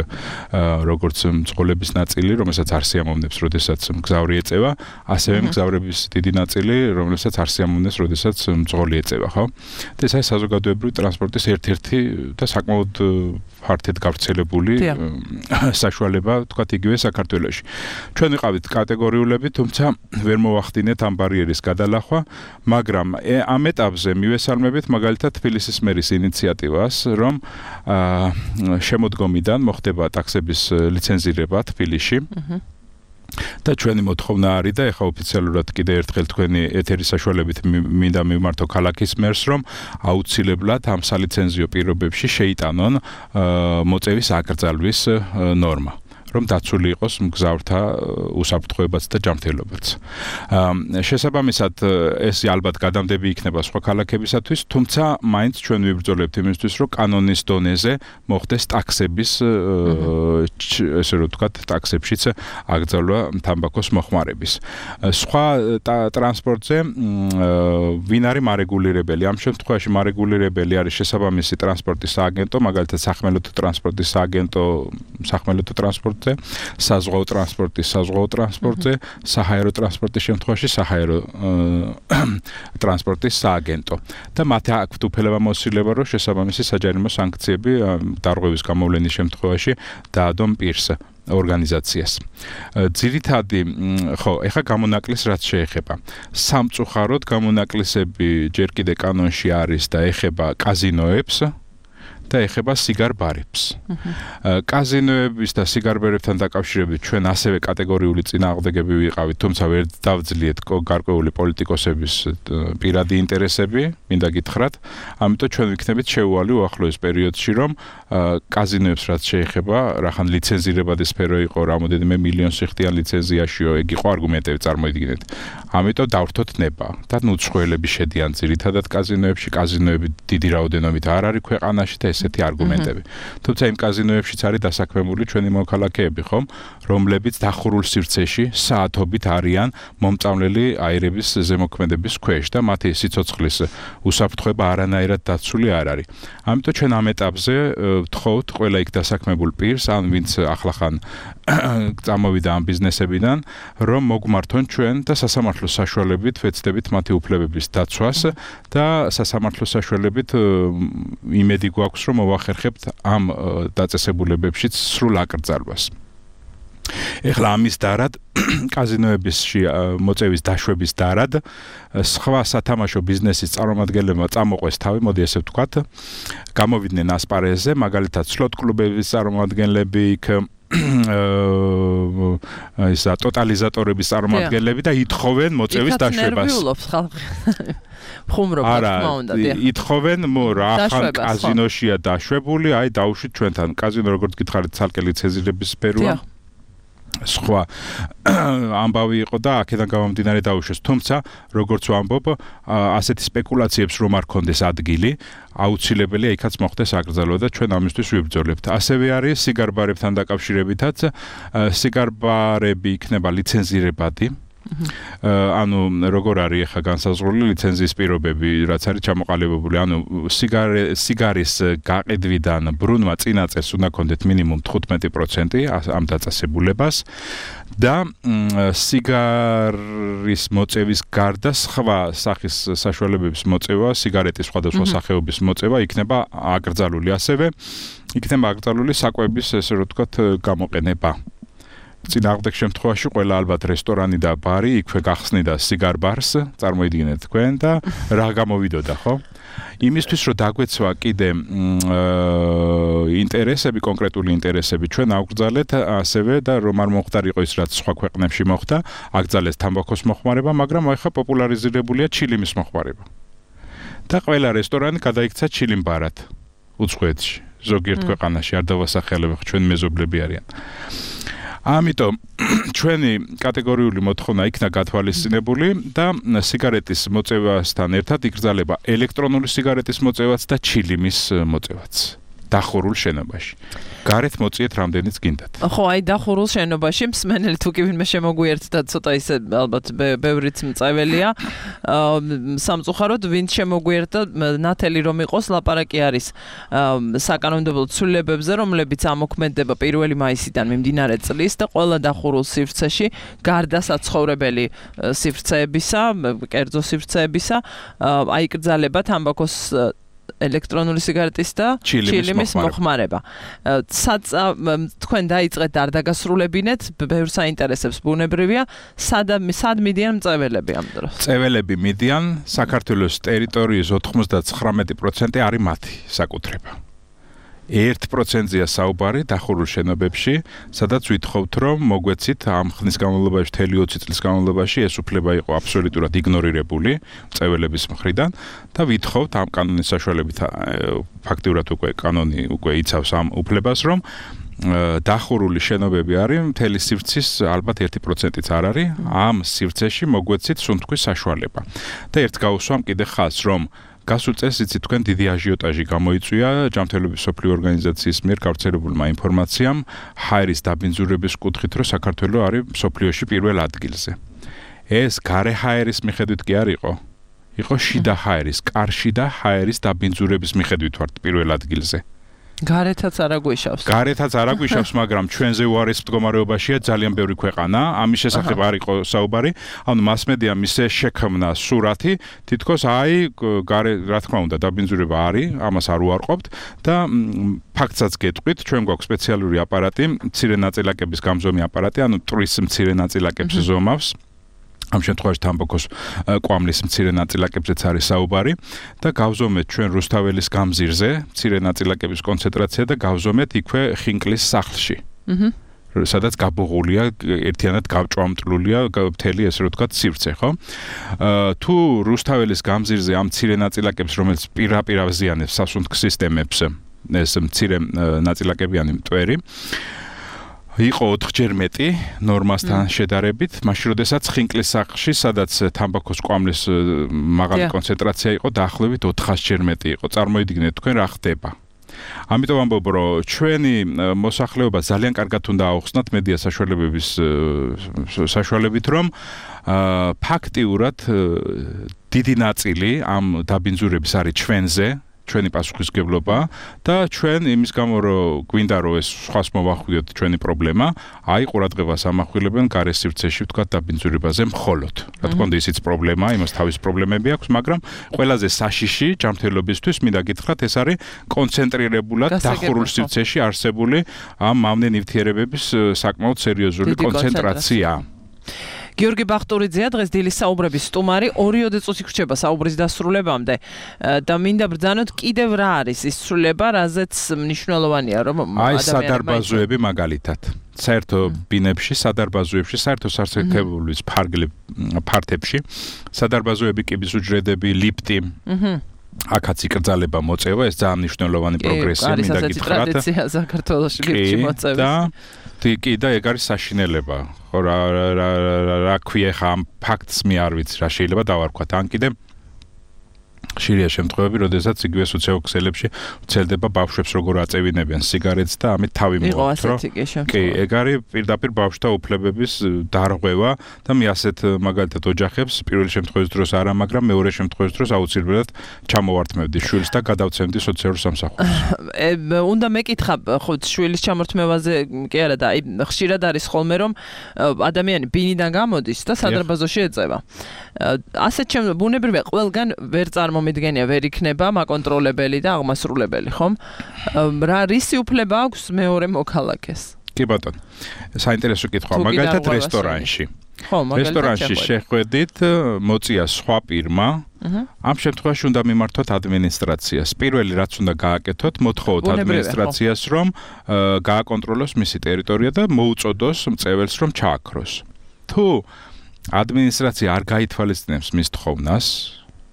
როგორც მძღოლების ნაწილი, რომელსაც არ სიამოვნებს, როდესაც მგზავრი ეწევა, ასევე მგზავრების დიდი ნაწილი, რომელსაც არ სიამოვნებს, როდესაც მძღოლი ეწევა, ხო? და ეს არის საზოგადოებრივი ტრანსპორტის ერთ-ერთი და საკმაოდ ფართედ გავრცელებული საშუალება, ვთქვათ, იგივე საქართველოში. ჩვენ ვიყავით კატეგორიულები, თუმცა ვერ მოვახდინეთ ამ ბარიერის გადალახვა, მაგრამ ამ ეტაპზე მივესალმებით მაგალითად თბილისის მერის ინიციატივას, რომ შემოდგომიდან მოხდება ტაქსების ლიცენზირება თბილისში. და ჩვენი მოთხოვნა არის და ეხა ოფიციალურად კიდე ერთხელ თქვენი ეთერის საშუალებით მინდა მივმართო ქალაქის მერს, რომ აუცილებლად ამ სალიცენზიო პირობებში შეიტანონ მოწევის აკრძალვის ნორმა. რომ დაცული იყოს მგზავრთა უსაფრთხოებაც და ჯანმრთელობაც. შესაბამისად ეს ალბათ გადამდები იქნება სხვა ქალაქებისათვის, თუმცა მაინც ჩვენ ვიბრძოლებთ იმისთვის, რომ კანონის დონეზე მოხდეს ტაქსების ესე რომ ვთქვათ, ტაქსებშიც აკრძალვა თამბაქოს მოხმარების. სხვა ტრანსპორტზე ვინ არის მარეგულირებელი? ამ შემთხვევაში მარეგულირებელი არის შესაბამისი ტრანსპორტის სააგენტო, მაგალითად სახმელეთო ტრანსპორტის სააგენტო, სახმელეთო ტრანსპორტ საზღვაო ტრანსპორტზე, საჰაერო ტრანსპორტის შემთხვევაში საჰაერო ტრანსპორტის სააგენტო. და მათ აქვთ უფლებამოსილება, რომ შესაბამისი საჯარიმო სანქციები დარღვევის გამოვლენის შემთხვევაში დაადონ პირს ორგანიზაციას. ძირითადი, ხო, ეხა გამონაკლისს რაც შეეხება. სამწუხაროდ გამონაკლისები ჯერ კიდე კანონში არის და ეხება კაზინოებს და ეხება სიგარ-ბარებს. კაზინოების და სიგარ-ბარებთან დაკავშირებით ჩვენ ასევე კატეგორიული წინააღმდეგები ვიყავით, თუმცა ვერ დავძლიეთ გარკვეული პოლიტიკოსების პირადი ინტერესები, მინდა გითხრათ. ამიტომ ჩვენ ვიქნებით შეუვალი უახლოეს პერიოდში, რომ კაზინოებს რაც შეეხება, რახან ლიცენზირებადი სფერო იყო, რამოდენიმე მილიონ სიხდიან ლიცენზიაშიო, ეგ იყო არგუმენტები წარმოიდგინეთ. ამიტომ დავრთოთ ნება და ნუცხველები შედიან ძირითადად კაზინოებში, კაზინოები დიდი რაოდენობით არ არის ქვეყანაში და ესეთი არგუმენტები. თუმცა იმ კაზინოებშიც არის დასაქმებული ჩვენი მოქალაქეები, ხომ, რომლებიც დახურულ სივრცეში საათობით არიან მომწამლელი აირების ზემოქმედების ქვეშ და მათი სიცოცხლის უსაფრთხოება არანაირად დაცული არ არის. ამიტომ ჩვენ ამ ეტაპზე ვთხოვთ ყველა იქ დასაქმებულ პირს, ან ვინც ახლახან წამოვიდა ამ ბიზნესებიდან, რომ მოგმართონ ჩვენ და სასამართლოს საშუალებით ვეცდებით მათი უფლებების დაცვას და სასამართლოს საშუალებით იმედი გვაქვს, რომ მოვახერხებთ ამ დაწესებულებებშიც სრულ აკრძალვას. ეხლა ამის დარად კაზინოებისში მოწევის დაშვების დარად სხვა სათამაშო ბიზნესის წარმომადგენლებმა წამოყვეს თავი, მოდი ესე ვთქვათ, გამოვიდნენ ასპარეზზე, მაგალითად სლოტ კლუბების წარმომადგენლები იქ ისა ტოტალიზატორების წარმომადგენლები და ითხოვენ მოწევის დაშვებას. ხუმრობ თქმა უნდა, ითხოვენ რახან კაზინოშია დაშვებული, აი დაუშვით ჩვენთან. კაზინო როგორც გითხარით, ცალკე ლიცენზირების სფეროა. სხვა ამბავი იყო და აქედან გამომდინარე დაუშვეს. თუმცა, როგორც ვამბობ, ასეთი სპეკულაციებს რომ არ ქონდეს ადგილი, აუცილებელია იქაც მოხდეს აკრძალვა და ჩვენ ამისთვის ვიბრძოლებთ. ასევე არის სიგარ-ბარებთან დაკავშირებითაც, სიგარ-ბარები იქნება ლიცენზირებადი. ანუ როგორ არის ახლა განსაზღვრული ლიცენზიის პირობები, რაც არის ჩამოყალიბებული, ანუ სიგარის გაყიდვიდან ბრუნვა წინაწელს უნდა ქონდეთ მინიმუმ 15% ამ დაწესებულებას და სიგარის მოწევის გარდა სხვა სახის საშუალებების მოწევა, სიგარეტის სხვადასხვა სახეობის მოწევა იქნება აკრძალული, ასევე იქნება აკრძალული საკვების, ესე რომ ვთქვათ, გამოყენება. წინააღმდეგ შემთხვევაში ყველა ალბათ რესტორანი და ბარი იქვე გახსნიდა სიგარ-ბარს, წარმოიდგინეთ თქვენ და რა გამოვიდოდა, ხო? იმისთვის რომ დაგვეცვა კიდე ინტერესები, კონკრეტული ინტერესები ჩვენ ავგრძალეთ ასევე და რომ არ მომხდარიყო ის რაც სხვა ქვეყნებში მოხდა, აკრძალეს თამბაქოს მოხმარება, მაგრამ ახლა პოპულარიზირებულია ჩილიმის მოხმარება. და ყველა რესტორანი გადაიქცა ჩილიმ-ბარად უცხოეთში, ზოგიერთ ქვეყანაში არ დავასახელებ, ჩვენ მეზობლები არიან. ამიტომ ჩვენი კატეგორიული მოთხოვნა იქნა გათვალისწინებული და სიგარეტის მოწევასთან ერთად იკრძალება ელექტრონული სიგარეტის მოწევაც და ჩილიმის მოწევაც. დახურულ შენობაში. გარეთ მოწიეთ რამდენიც გინდათ. ხო, აი დახურულ შენობაში მსმენელი თუ კი ვინმე შემოგვიერთდა ცოტა ისე ალბათ ბევრიც მწეველია. სამწუხაროდ ვინც შემოგვიერთდა ნათელი რომ იყოს ლაპარაკი არის საკანონმდებლო ცვლილებებზე, რომლებიც ამოქმედება 1 მაისიდან მიმდინარე წლის და ყველა დახურულ სივრცეში გარდა საცხოვრებელი სივრცეებისა, კერძო სივრცეებისა, აიკრძალება თამბაქოს ელექტრონული სიგარეტის და ჩილიმის მოხმარება. თქვენ დაიწყეთ არ დაგასრულებინეთ, ბევრს აინტერესებს ბუნებრივია, სად მიდიან მწეველები ამ დროს? მწეველები მიდიან საქართველოს ტერიტორიის 99% არის მათი საკუთრება. 1%-ია საუბარი დახურულ შენობებში, სადაც ვითხოვთ, რომ მოგვეცით ამ ხნის განმავლობაში, 20 წლის განმავლობაში ეს უფლება იყო აბსოლუტურად იგნორირებული მწეველების მხრიდან და ვითხოვთ ამ კანონის საშუალებით ფაქტიურად უკვე კანონი უკვე იცავს ამ უფლებას, რომ დახურული შენობები არის მთელი სივრცის ალბათ 1%-იც არ არის, ამ სივრცეში მოგვეცით სუნთქვის საშუალება. და ერთ გავუსვამ კიდე ხაზს, რომ გასულ წელს იცით თქვენ დიდი აჟიოტაჟი გამოიწვია ჯანმრთელობის მსოფლიო ორგანიზაციის მიერ გავრცელებულმა ინფორმაციამ ჰაერის დაბინძურების კუთხით, რომ საქართველო არის მსოფლიოში პირველ ადგილზე. ეს გარე ჰაერის მიხედვით კი არ იყო შიდა ჰაერის, კარშიდა ჰაერის დაბინძურების მიხედვით ვართ პირველ ადგილზე. გარეთაც არ აგვიშავს, მაგრამ ჩვენზე უარეს მდგომარეობაშია ძალიან ბევრი ქვეყანა. ამის შესახებ არ იყო საუბარი. ანუ მასმედიამ ისე შექმნა სურათი, თითქოს აი გარე, რა თქმა უნდა, დაბინძურება არის, ამას არ უარყოფთ და ფაქტსაც გეტყვით, ჩვენ გვაქვს სპეციალური აპარატი, მცირე ნაწილაკების გამზომი აპარატი, ანუ ტრის მცირე ნაწილაკებს ზომავს. ამ შემთხვევაში თამბაქოს კვამლის მცირე ნაწილაკებზეც არის საუბარი და გავზომეთ ჩვენ რუსთაველის გამზირზე მცირე ნაწილაკების კონცენტრაცია და გავზომეთ იქვე ხინკლის სახლში. სადაც გაბოღულია, ერთიანად გავჭვამტლულია მთელი ესე რომ ვთქვათ სივრცე, ხო? თუ რუსთაველის გამზირზე ამ მცირე ნაწილაკებს, რომელიც პირდაპირ აზიანებს სასუნთქ სისტემებს, ეს მცირე ნაწილაკებიანი მტვერი იყო 4-ჯერ მეტი ნორმასთან შედარებით, მაშინ როდესაც ხინკლის სახლში, სადაც თამბაქოს კვამლის მაღალი კონცენტრაცია იყო, დაახლოებით 400-ჯერ მეტი იყო. წარმოიდგინეთ თქვენ რა ხდება. ამიტომ ამბობ, რომ ჩვენი მოსახლეობა ძალიან კარგად უნდა აუხსნათ მედია საშუალებების საშუალებით, რომ ფაქტიურად დიდი ნაწილი ამ დაბინძურების არის ჩვენზე, ჩვენი პასუხისმგებლობა და ჩვენ იმის გამო რომ გვინდა რომ ეს სხვას მოვახვიოთ ჩვენი პრობლემა, აი ყურადღებას ამახვილებენ გარე სივრცეში ვთქვათ დაბინძურებაზე მხოლოდ. რა თქმა უნდა ისიც პრობლემა, იმას თავის პრობლემები აქვს, მაგრამ ყველაზე საშიში ჯანმრთელობისთვის მინდა გითხრათ, ეს არის კონცენტრირებულად დახურულ სივრცეში არსებული ამ მავნე ნივთიერებების საკმაოდ სერიოზული კონცენტრაცია. გიორგი ბახტურიძეა დღეს დილის საუბრების სტუმარი, 2 წუთი გრჩება საუბრის დასრულებამდე და მინდა ბრძანოთ კიდევ რა არის ის ცვლილება, რაზეც მნიშვნელოვანია რომ აი სადარბაზოები მაგალითად საერთო ბინებში, სადარბაზოებში, საერთო სასარგებლოების ფართებში, სადარბაზოები, კიბის უჯრედები, ლიფტი. აქაც იკრძალება მოწევა, ეს ძალიან მნიშვნელოვანი პროგრესია, მინდა გითხრათ. არის ტრადიცია საქართველოში ლიფტში მოწევის. კი და ეგ არის საშინელება. ხო რა ქვია ხა ამ ფაქტს მე არ ვიცი რა შეიძლება დავარქვათ. ან კიდე ხშირია შემთხვევები, როდესაც იგივე სოციალურ ქსელებში ვრცელდება ბავშვებს როგორ აწევინებენ სიგარეტს და ამით თავი მოაქვს, რომ კი, ეგ არის პირდაპირ ბავშვთა უფლებების დარღვევა და მე ასეთ მაგალითად ოჯახებს პირველი შემთხვევის დროს არა, მაგრამ მეორე შემთხვევის დროს აუცილებლად ჩამოვართმევდი შვილს და გადავცემდი სოციალურ სამსახურს. უნდა მეკითხა ხო შვილის ჩამორთმევაზე კი არა და აი ხშირად არის ხოლმე რომ ადამიანი ბინიდან გამოდის და სადარბაზოში ეწევა. ასეთ ბუნებრივია ყველგან ვერ წარმომიდგენია, ვერ იქნება მაკონტროლებელი და აღმასრულებელი, ხომ? რა რისი უფლება აქვს მეორე მოქალაქეს? კი ბატონო. საინტერესო კითხვა, მაგალითად რესტორანში. რესტორანში შეხვედით, მოწია სხვა პირმა. ამ შემთხვევაში უნდა მიმართოთ ადმინისტრაციას. პირველი რაც უნდა გააკეთოთ, მოთხოვოთ ადმინისტრაციას, რომ გააკონტროლოს მისი ტერიტორია და მოუწოდოს მწეველს, რომ ჩააქროს. თუ ადმინისტრაცია არ გაითვალისწინებს მის თხოვნას,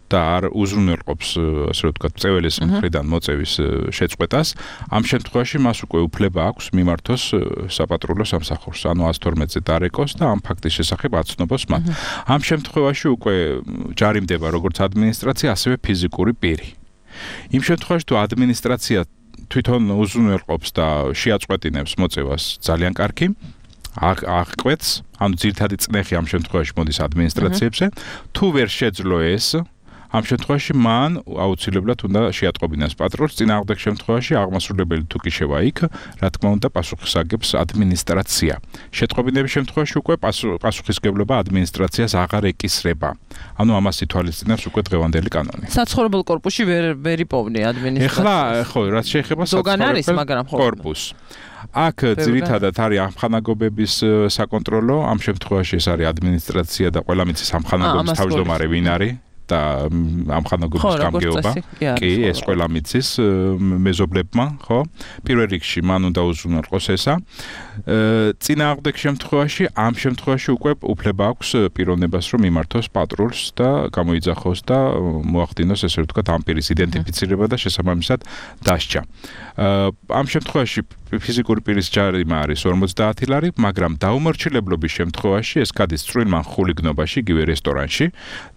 და არ უზრუნველყოფს, ასე ვთქვათ, წეველის მხრიდან მოწევის შეწყვეტას, ამ შემთხვევაში მას უკვე უფლება აქვს მიმართოს საპატრულო სამსახურს, ანუ 112-ზე დარეკოს და ამ ფაქტის შესახებ აცნობს მათ. ამ შემთხვევაში უკვე ჯარიმდება როგორც ადმინისტრაცია, ასევე ფიზიკური პირი. იმ შემთხვევაში თუ ადმინისტრაცია თვითონ უზრუნველყოფს და შეაწყვეტინებს მოწევას, ძალიან კარგი. აღკვეთს, ანუ ძირითადი წნეხი ამ შემთხვევაში მოდის ადმინისტრაციებზე, თუ ვერ შეძლო ეს, ამ შემთხვევაში მან აუცილებლად უნდა შეატყობინოს პატრონს, წინააღმდეგ შემთხვევაში აღმასრულებელი თუ კი შევა იქ, რა თქმა უნდა პასუხის აგებს ადმინისტრაცია. შეტყობინების შემთხვევაში უკვე პასუხისგებლობა ადმინისტრაციას აღარ ეკისრება. ანუ ამას ითვალისწინებს უკვე დღევანდელი კანონი. საცხოვრებელ კორპუსში ვერ იპოვნი ადმინისტრაცია. ეხლა ხო, რაც შეეხება საცხოვრებელ კორპუსს. აქ ძირითადად არის ამხანაგობების საკონტროლო, ამ შემთხვევაში ეს არის ადმინისტრაცია და ყველა მიცის ამხანაგობის თავმჯდომარე ვინ არის და ამხანაგობის გამგეობა. კი, ეს ყველა მიცის მეზობლებმა, ხო? პირველ რიგში მან უნდა უზრუნველყოს ესა. წინააღმდეგ შემთხვევაში, ამ შემთხვევაში უკვე უფლება აქვს პიროვნებას, რომ მიმართოს პატრულს და გამოიძახოს და მოახდინოს, ესე ვთქვათ, ამ პირის იდენტიფიცირება და შესაბამისად დასჯა. ამ შემთხვევაში ფიზიკური პირის ჯარიმა არის 50 ლარი, მაგრამ დაუმორჩილებლობის შემთხვევაში ეს გადის წვრილმან ხულიგნობაში, იგივე რესტორანში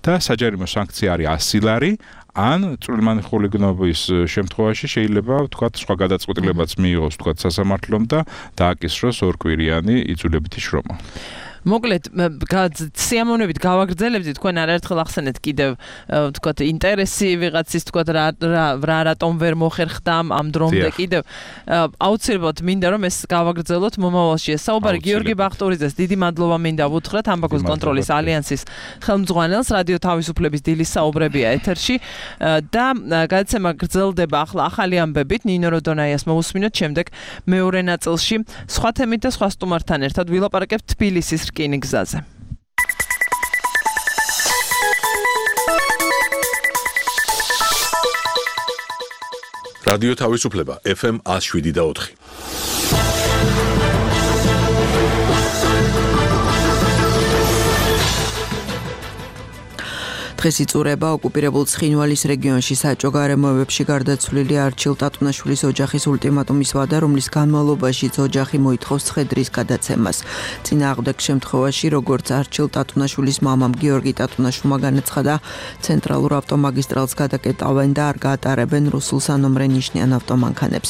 და საჯარიმო სანქცია არის 100 ლარი. ან წვრილმან ხულიგნობის შემთხვევაში შეიძლება ვთქვათ სხვა გადაწყვეტილებაც მიიღოს ვთქვათ სასამართლომ და დააკისროს ორკვირიანი იძულებითი შრომა. მოკლედ სიამოვნებით გავაგრძელებთ თქვენ არაერთხელ ახსენეთ კიდევ ვთქვათ ინტერესი ვიღაცის ვთქვათ რა რატომ ვერ მოხერხდა ამ დრომდე კიდევ აუცილებლად მინდა რომ ეს გავაგრძელოთ მომავალში ეს საუბარი გიორგი ბახტურიძეს დიდი მადლობა მინდა ვუთხრათ ამბაქოს კონტროლის ალიანსის ხელმძღვანელს რადიო თავისუფლების დილის საუბრებია ეთერში და გადაცემა გრძელდება ახლა ახალი ამბებით ნინო როდონაიას მოусმინოთ შემდეგ მეორე ნაწილში სხვა თემით და სხვა სტუმართან ერთად ვილაპარაკებთ თბილისის რკინიგზაზე. რადიო თავისუფლება FM 107.4. დღეს იწურება ოკუპირებულ ცხინვალის რეგიონში საჭო გარემოებებში გარდაცვლილი არჩილ ტატუნაშვილის ოჯახის ულტიმატუმის ვადა, რომლის განმავლობაშიც ოჯახი მოითხოვს ცხედრის გადაცემას. წინააღმდეგ შემთხვევაში, როგორც არჩილ ტატუნაშვილის მამამ გიორგი ტატუნაშვილმა განაცხადა, ცენტრალურ ავტომაგისტრალს გადაკეტავენ და არ გაატარებენ რუსულ სანომრე ნიშნიან ავტომანქანებს.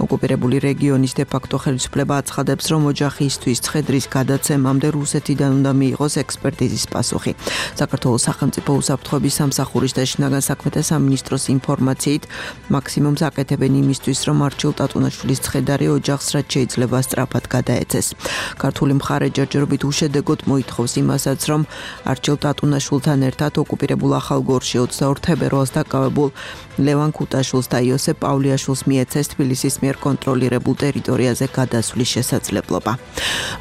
ოკუპირებული რეგიონის დე-ფაქტო ხელისუფლება აცხადებს, რომ ოჯახისთვის ცხედრის გადაცემამდე რუსეთიდან უნდა მიიღოს ექსპერტიზის პასუხი. საქართველოს სახელმწიფო უსაფრთხოების სამსახურის და შინაგან საქმეთა სამინისტროს ინფორმაციით მაქსიმუმს აკეთებენ იმისთვის, რომ არჩილ ტატუნაშვილის ცხედარი ოჯახს რაც შეიძლება სწრაფად გადაეცეს. ქართული მხარე ჯერჯერობით უშედეგოდ მოითხოვს იმასაც, რომ არჩილ ტატუნაშვილთან ერთად ოკუპირებულ ახალგორში 22 თებერვალს დაკავებულ ლევან ქუტაშვილს და იოსებ პავლიაშვილს მიეცეს თბილისის მიერ კონტროლირებულ ტერიტორიაზე გადასვლის შესაძლებლობა.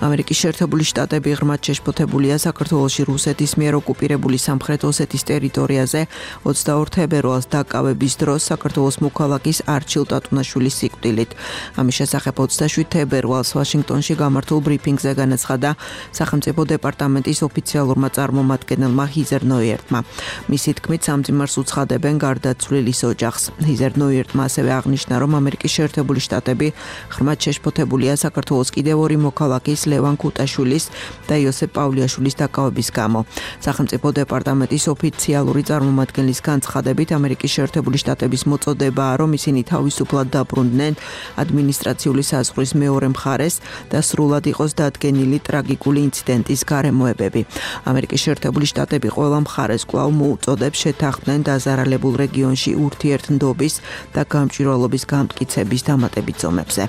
ამერიკის შეერთებული შტატები ღრმად შეშფოთებულია საქართველოში რუსეთის მიერ ოკუპირებული სამხრეთ ოსეთის ტერიტორიაზე 22 თებერვალს დაკავების დროს საქართველოს მოქალაქის არჩილ ტატუნაშვილის სიკვდილით. ამის შესახებ 27 თებერვალს ვაშინგტონში გამართულ ბრიფინგზე განაცხადა სახელმწიფო დეპარტამენტის ოფიციალურმა წარმომადგენელმა ჰიზერ ნოიერტმა. მისი თქმით, სამძიმარს უცხადებენ გარდაცვლილის ოჯახს. ჰიზერ ნოიერტმა ასევე აღნიშნა, რომ ამერიკის შეერთებული შტატები ღრმად შეშფოთებულია საქართველოს კიდევ ორი მოქალაქის ლევან ქუტაშვილის და იოსებ პავლიაშვილის დაკავების გამო. სახელმწიფო დეპარტამენტის ოფიციალური წარმომადგენლის განცხადებით, ამერიკის შეერთებული შტატების მოწოდებაა, რომ ისინი თავისუფლად დაბრუნდნენ ადმინისტრაციული საზღვრის მეორე მხარეს და სრულად იყოს დადგენილი ტრაგიკული ინციდენტის გარემოებები. ამერიკის შეერთებული შტატები ყველა მხარეს კვლავ მოუწოდებს შეთანხმდნენ დაზარალებულ რეგიონში ურთიერთმდობის და გამჭვირვალობის გამტკიცების დამატებით ზომებზე.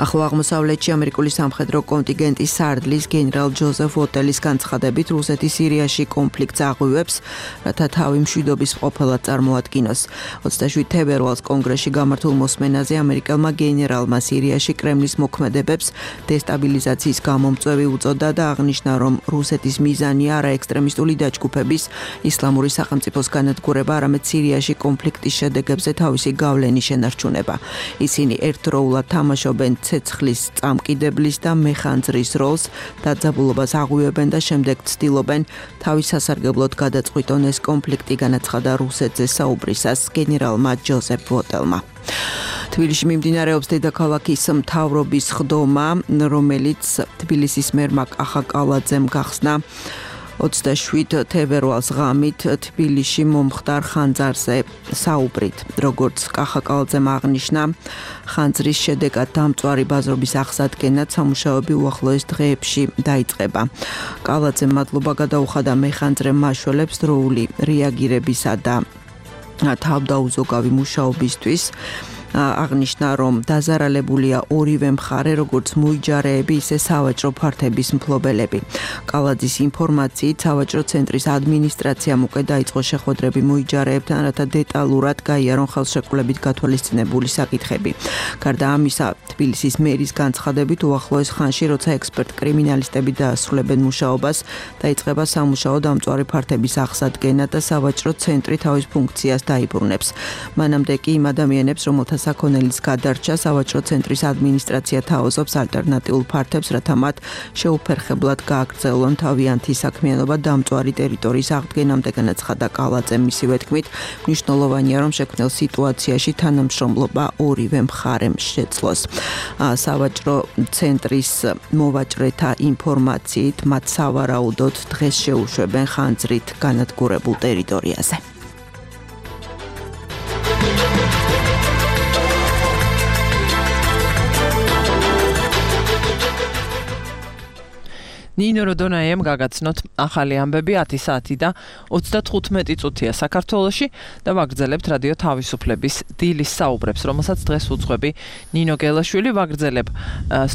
ახლო აღმოსავლეთში ამერიკული სამხედრო კონტინგენტის სარდლის გენერალ ჯოზეფ ვოტელის განცხადებით რუსეთი სირიაში კონფლიქტს აღვივებს, რათა თავი მშვიდობის ყოფილად წარმოადგინოს. 27 თებერვალს კონგრესში გამართულ მოსმენაზე ამერიკელმა გენერალმა სირიაში კრემლის მოქმედებებს დესტაბილიზაციის გამომწვევი უწოდა და აღნიშნა, რომ რუსეთის მიზანი არა ექსტრემისტული დაჯგუფების ისლამური სახელმწიფოს განადგურება, არამედ სირიაში კონფლიქტის შედეგებზე თავისი გავლენის შენარჩუნება. ისინი ერთდროულად თამაშობენ ცეცხლის წამკიდებლის და მეხანძრის როლს დაძაბულობას აღვივებენ და შემდეგ ცდილობენ თავის სასარგებლოდ გადაწყვიტონ ეს კონფლიქტი, განაცხადა რუსეთზე საუბრისას გენერალმა ჯოზეფ ვოტელმა. თბილისში მიმდინარეობს დედაქალაქის მთავრობის ხდომა, რომელიც თბილისის მერმა კახა კალაძემ გახსნა 27 თებერვალს ღამით თბილისში მომხდარ ხანძარზე საუბრით. როგორც კახა კალაძემ აღნიშნა, ხანძრის შედეგად დამწვარი ბაზრობის აღსადგენად სამუშაოები უახლოეს დღეებში დაიწყება. კალაძემ მადლობა გადაუხადა მეხანძრე მაშველებს დროული რეაგირებისა და თავდაუზოგავი მუშაობისთვის. აღნიშნა, რომ დაზარალებულია ორივე მხარე, როგორც მოიჯარეები, ისე სავაჭრო ფართების მფლობელები. კალაძის ინფორმაციით, სავაჭრო ცენტრის ადმინისტრაციამ უკვე დაიწყო შეხვედრები მოიჯარეებთან, რათა დეტალურად გაიარონ ხელშეკრულებით გათვალისწინებული საკითხები. გარდა ამისა, თბილისის მერის განცხადებით, უახლოეს ხანში, როცა ექსპერტ-კრიმინალისტები დაასრულებენ მუშაობას, დაიწყება სამუშაო დამწვარი ფართების აღსადგენად და სავაჭრო ცენტრი თავის ფუნქციას დაიბრუნებს. მანამდე კი იმ ადამიანებს, რომელთა საქონელის გადარჩა სავაჭრო ცენტრის ადმინისტრაცია თავაზობს ალტერნატიულ ფართებს, რათა მათ შეუფერხებლად გააგრძელონ თავიანთი საქმიანობა დამწვარი ტერიტორიის აღდგენამდე, განაცხადა კალაძემ. მისივე თქმით, მნიშვნელოვანია, რომ შექმნილ სიტუაციაში თანამშრომლობა ორივე მხარემ შეძლოს. სავაჭრო ცენტრის მოვაჭრეთა ინფორმაციით, მათ სავარაუდოდ დღეს შეუშვებენ ხანძრით განადგურებულ ტერიტორიაზე. ნინო როდონაიამ გაგაცნოთ ახალი ამბები 10 საათი და 35 წუთია საქართველოში და ვაგრძელებთ რადიო თავისუფლების დილის საუბრებს, რომელსაც დღეს უძღვები ნინო გელაშვილი. ვაგრძელებ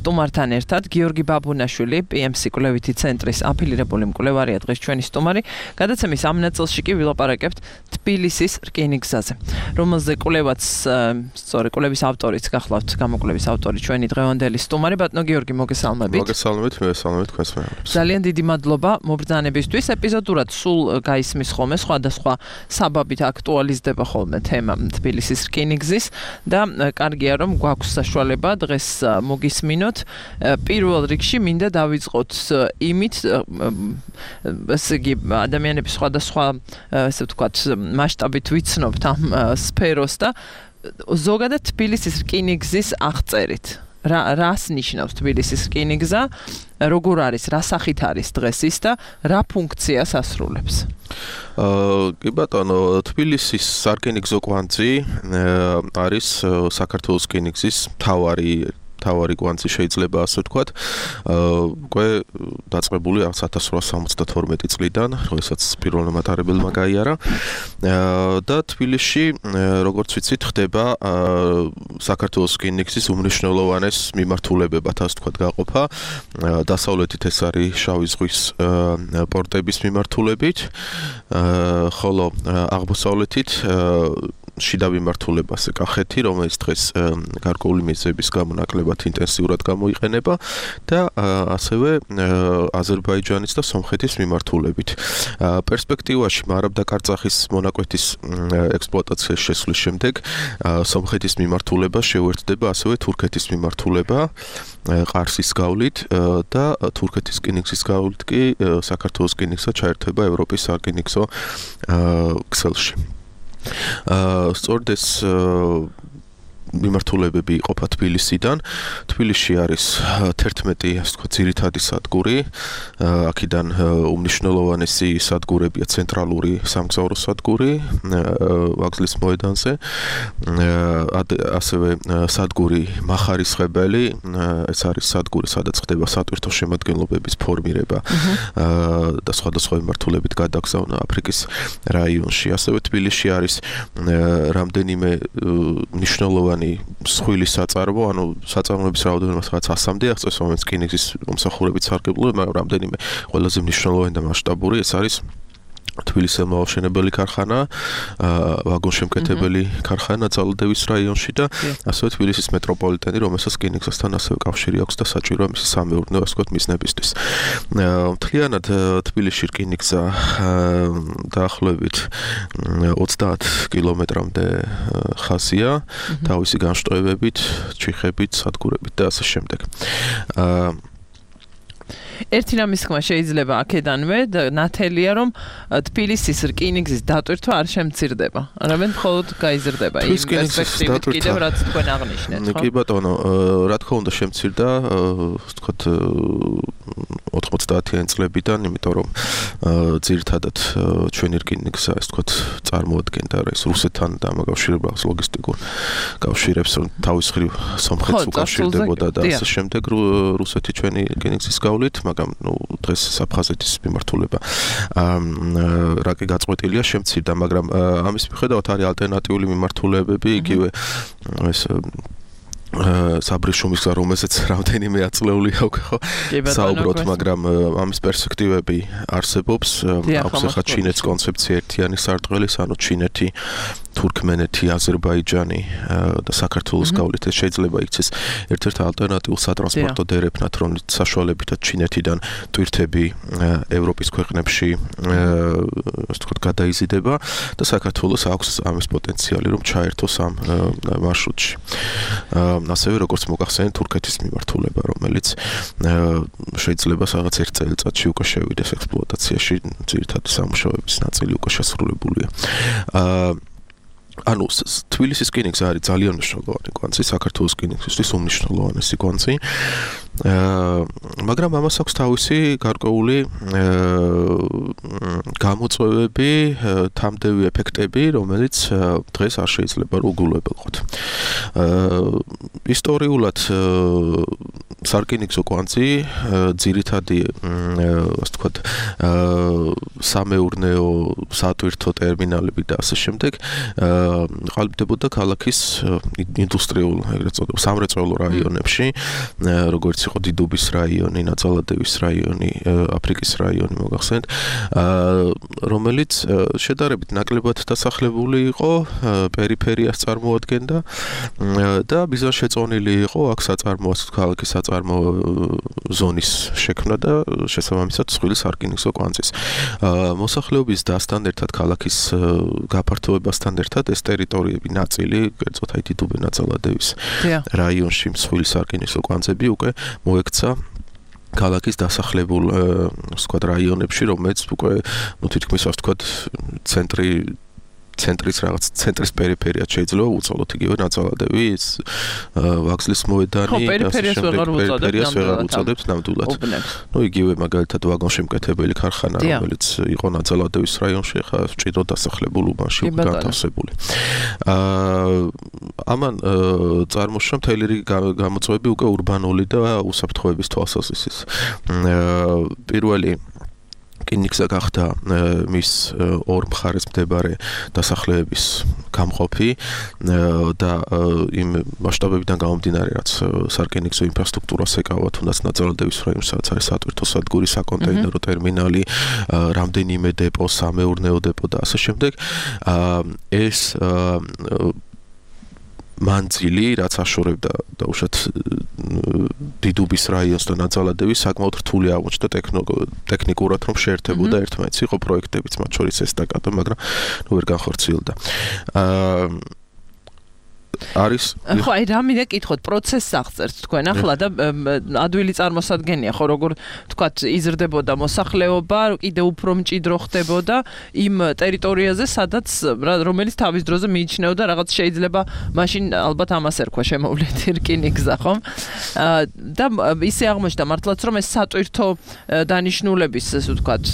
სტუმართან ერთად გიორგი ბაბუნაშვილი, PMC კვლევითი ცენტრის აფილირებული მკვლევარია დღეს ჩვენი სტუმარი. გადაცემის ამ ნაწილში კი ვილაპარაკებთ თბილისის რკინიგზაზე, რომელზე კვლევაც სწორი კვლევის ავტორიც გახლავთ, გამოკვლევის ავტორი ჩვენი დღევანდელი სტუმარი ბატონო გიორგი, მოგესალმებით. მოგესალმებით, მოგესალმებით თქვენს ძალიან დიდი მადლობა მობრძანებისთვის. ეპიზოდურად სულ გაისმის ხოლმე სხვადასხვა საბაბით აქტუალიზდება ხოლმე თემა თბილისის რკინიგზის და კარგია რომ გვაქვს საშუალება დღეს მოგისმინოთ. პირველ რიგში მინდა დავიწყოთ იმით, ესე იგი ადამიანების სხვადასხვა ესე ვთქვათ მასშტაბით ვიცნობთ ამ სფეროს და ზოგადად თბილისის რკინიგზის აღწერით. რას ნიშნავს თბილისის რკინიგზა, როგორ არის, რა სახით არის დღეს ის და რა ფუნქციას ასრულებს? კი ბატონო, თბილისის სარკინიგზო კვანძი არის საქართველოს რკინიგზის თავარი კვანძი შეიძლება ასე ვთქვათ. უკვე დაწყებული 1872 წლიდან, როდესაც პირველმა მატარებელმა გაიარა და თბილისში, როგორც ვიცით, ხდება საქართველოს რკინიგზის უმნიშვნელოვანეს მიმართულებებად, ასე ვთქვათ, გაყოფა. დასავლეთით ეს არის შავი ზღვის პორტების მიმართულებით, ხოლო აღმოსავლეთით შიდა მიმართულებაზე კახეთი, რომელიც დღეს გარკვეული მიზეზების გამო ნაკლებად ინტენსიურად გამოიყენება და ასევე აზერბაიჯანის და სომხეთის მიმართულებით. პერსპექტივაში მარაბდა-კარწახის მონაკვეთის ექსპლუატაციაში შესვლის შემდეგ სომხეთის მიმართულება შეუერთდება ასევე თურქეთის მიმართულება ყარსის გავლით და თურქეთის რკინიგზის გავლით კი საქართველოს რკინიგზა ჩაერთვება ევროპის სარკინიგზო ქსელში. სწორედ ეს მიმართულებები იყოფა თბილისიდან. თბილისში არის 11, ასე ვთქვათ, ძირითადი სადგური. აქედან უმნიშვნელოვანესი სადგურებია ცენტრალური სამგზავრო სადგური ვაგზლის მოედანზე. ასევე სადგური მახარისხებელი, ეს არის სადგური, სადაც ხდება სატვირთო შემადგენლობების ფორმირება და სხვადასხვა მიმართულებით გადაგზავნა აფრიკის რაიონში. ასევე თბილისში არის რამდენიმე მნიშვნელოვანი მსხვილი საწარმო, ანუ საწარმოების რაოდენობა სადაც 100-მდე აღწევს, რომელიც რკინიგზის მომსახურებით სარგებლობენ, მაგრამ რამდენიმე ყველაზე მნიშვნელოვანი და მასშტაბური ეს არის თბილისის ელმაოშენებელი ქარხანა, ვაგონშემკეთებელი ქარხანა ძალადევის რაიონში და ასევე თბილისის მეტროპოლიტენი, რომელსაც რკინიგზასთან ასევე კავშირი აქვს და საჭიროა მისი სამეურნეო, ასე ვთქვათ, მიზნებისთვის. მთლიანად თბილისში რკინიგზა დაახლოებით 30 კილომეტრამდე ხაზია, თავისი განშტოებებით, ჩიხებით, სადგურებით და ასე შემდეგ. ერთი რამის თქმა შეიძლება აქედანვე ნათელია რომ თბილისის რკინიგზის დატვირთვა არ შემცირდება. არამედ მხოლოდ გაიზრდება იმ პერსპექტივით კიდევ რაც თქვენ აღნიშნეთ, ხო? კი ბატონო, რა თქმა უნდა შემცირდა, ვთქვათ 90-იან წლებიდან, იმიტომ რომ ძირითადად ჩვენი რკინიგზა, ასე ვთქვათ, წარმოადგენდა ეს რუსეთთან დამაკავშირებელ ლოგისტიკურ კავშირებს, რომ თავის ხრივ სომხეთს უკავშირდებოდა და ასე შემდეგ რუსეთი ჩვენი რკინიგზის გავლით, მაგრამ დღეს საფხაზეთის მიმართულება რაკი გაწყვეტილია შემცირდა, მაგრამ ამის მიხედავად არის ალტერნატიული მიმართულებები, იგივე ეს საბრეშუმის გზა, რომელზეც რამდენიმე აწლეული აქვს, ხო? საუბრობთ, მაგრამ ამის პერსპექტივები არსებობს. აქვს ახლა ჩინეთის კონცეფცია ერთიანი სარტყელის, ანუ ჩინეთი, თურქმენეთი, აზერბაიჯანი და საქართველოს გავლით ეს შეიძლება იქცეს ერთ-ერთ ალტერნატიულ სატრანსპორტო დერეფნად, რომელიც საშუალებითაც ჩინეთიდან ტვირთები ევროპის ქვეყნებში ასე ვთქვათ გადაიზიდება და საქართველოს აქვს ამის პოტენციალი, რომ ჩაერთოს ამ მარშრუტში. ასევე როგორც მოგახსენეთ თურქეთის მიმართულება, რომელიც შეიძლება რაღაც ერთ წელიწადში უკვე შევიდეს ექსპლუატაციაში, ძირითადად სამუშაოების ნაწილი უკვე შესრულებულია. ანუ თბილისის რკინიგზა არის ძალიან მნიშვნელოვანი კვანძი, საქართველოს რკინიგზისთვის უმნიშვნელოვანესი კვანძი. მაგრამ ამას აქვს თავისი გარკვეული გამოწვევები, თამდევი ეფექტები, რომელიც დღეს არ შეიძლება რომ უგულებელყოთ. ისტორიულად სარკინიგზო კვანძი ძირითადი, ასე ვთქვათ, სამეურნეო, სატვირთო ტერმინალები და ასე შემდეგ ყალიბდებოდა ქალაქის ინდუსტრიულ, ეგრეთ წოდებულ სამრეწველო რაიონებში, როგორც იყო დიდუბის რაიონი, ნაძალადევის რაიონი, აფრიკის რაიონი, მოგახსენეთ, რომელიც შედარებით ნაკლებად დასახლებული იყო, პერიფერიას წარმოადგენდა და ბიზნესშეწონილი იყო აქ საწარმოო, ქალაქის საწარმოო ზონის შექმნა და შესაბამისად მსხვილი სარკინიგზო კვანძის. მოსახლეობის დასთან ერთად ქალაქის გაფართოებასთან ერთად ეს ტერიტორიები ნაწილი, კერძოდ აი დიდუბე ნაძალადევის რაიონში მსხვილი სარკინიგზო კვანძები უკვე მოექცა ქალაქის დასახლებულ ვთქვათ რაიონებში, რომელიც უკვე თითქმის ასე ვთქვათ ცენტრის რაღაც ცენტრის პერიფერიად შეიძლება უწოდოთ იგივე ნაძალადევის ვაგზლის მოედანი და პერიფერიას ვეღარ უწოდებთ ნამდვილად. ნუ იგივე მაგალითად ვაგონშემკეთებელი ქარხანა, რომელიც იყო ნაძალადევის რაიონში, ხა ჭიდრო დასახლებულ უბანში განთავსებული. ამან წარმოშვა მთელი რიგი გამოწვევები უკვე ურბანული და უსაფრთხოების თვალსაზრისით. პირველი რკინიგზა გახდა მის ორ მხარეს მდებარე დასახლებების გამყოფი და იმ მასშტაბებიდან გამომდინარე, რაც სარკინიგზო ინფრასტრუქტურას ეკავა, თუნდაც ნაძალადევის რაიონში, სადაც არის სატვირთო სადგური, საკონტეინერო ტერმინალი, რამდენიმე დეპო, სამეურნეო დეპო და ასე შემდეგ. ეს მანძილი, რაც აშორებდა დაუშვათ დიდუბის რაიონს და ნაძალადევის, საკმაოდ რთული აღმოჩნდა ტექნიკურად, რომ შეერთებოდა ერთმანეთს. იყო პროექტებიც, მათ შორის ესტაკადო, მაგრამ ვერ განხორციელდა. არის ხო, აი რა მინდა კითხოთ, პროცესს აღწერთ თქვენ ახლა და ადვილი წარმოსადგენია, ხო, როგორ თქვათ, იზრდებოდა მოსახლეობა, კიდე უფრო მჭიდრო ხდებოდა იმ ტერიტორიაზე, სადაც რომელიც თავის დროზე მიიჩნეოდა რაღაც შეიძლება მაშინ ალბათ ამას ერქვა შემოვლეთი რკინიგზა, ხომ? და ისე აღმოჩნდა მართლაც რომ ეს სატვირთო დანიშნულების, ესე ვთქვათ,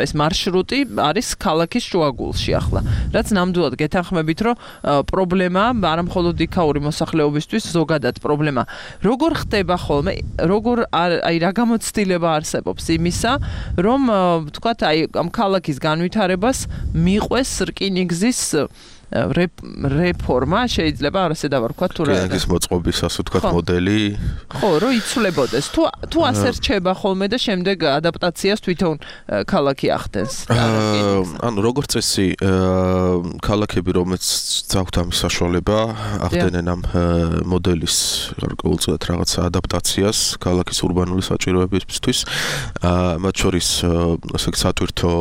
ეს მარშრუტი არის ქალაქის შუაგულში ახლა. რაც ნამდვილად გეთანხმებით, რომ პრობლემა არა მხოლოდ იქაური მოსახლეობისთვის ზოგადად პრობლემა. როგორ ხდება ხოლმე, აი რა გამოცდილება არსებობს იმისა, რომ ვთქვათ, აი ამ ქალაქის განვითარებას მიყვეს რკინიგზის რეფორმა შეიძლება ასე დავარქვათ თუ რა. კინგის მოწყობის ასე ვთქვათ მოდელი. ხო, რომ იცვლებოდეს. თუ ასე რჩება ხოლმე და შემდეგ ადაპტაციას თვითონ ქალაქი ახდენს. ანუ როგორც წესი ქალაქები რომელიც ძაქვთ ამის საშუალება ახდენენ ამ მოდელის გარკვეულწილად რაღაც ადაპტაციას ქალაქის ურბანული საჭიროებებისთვის მათ შორის ასე სატვირთო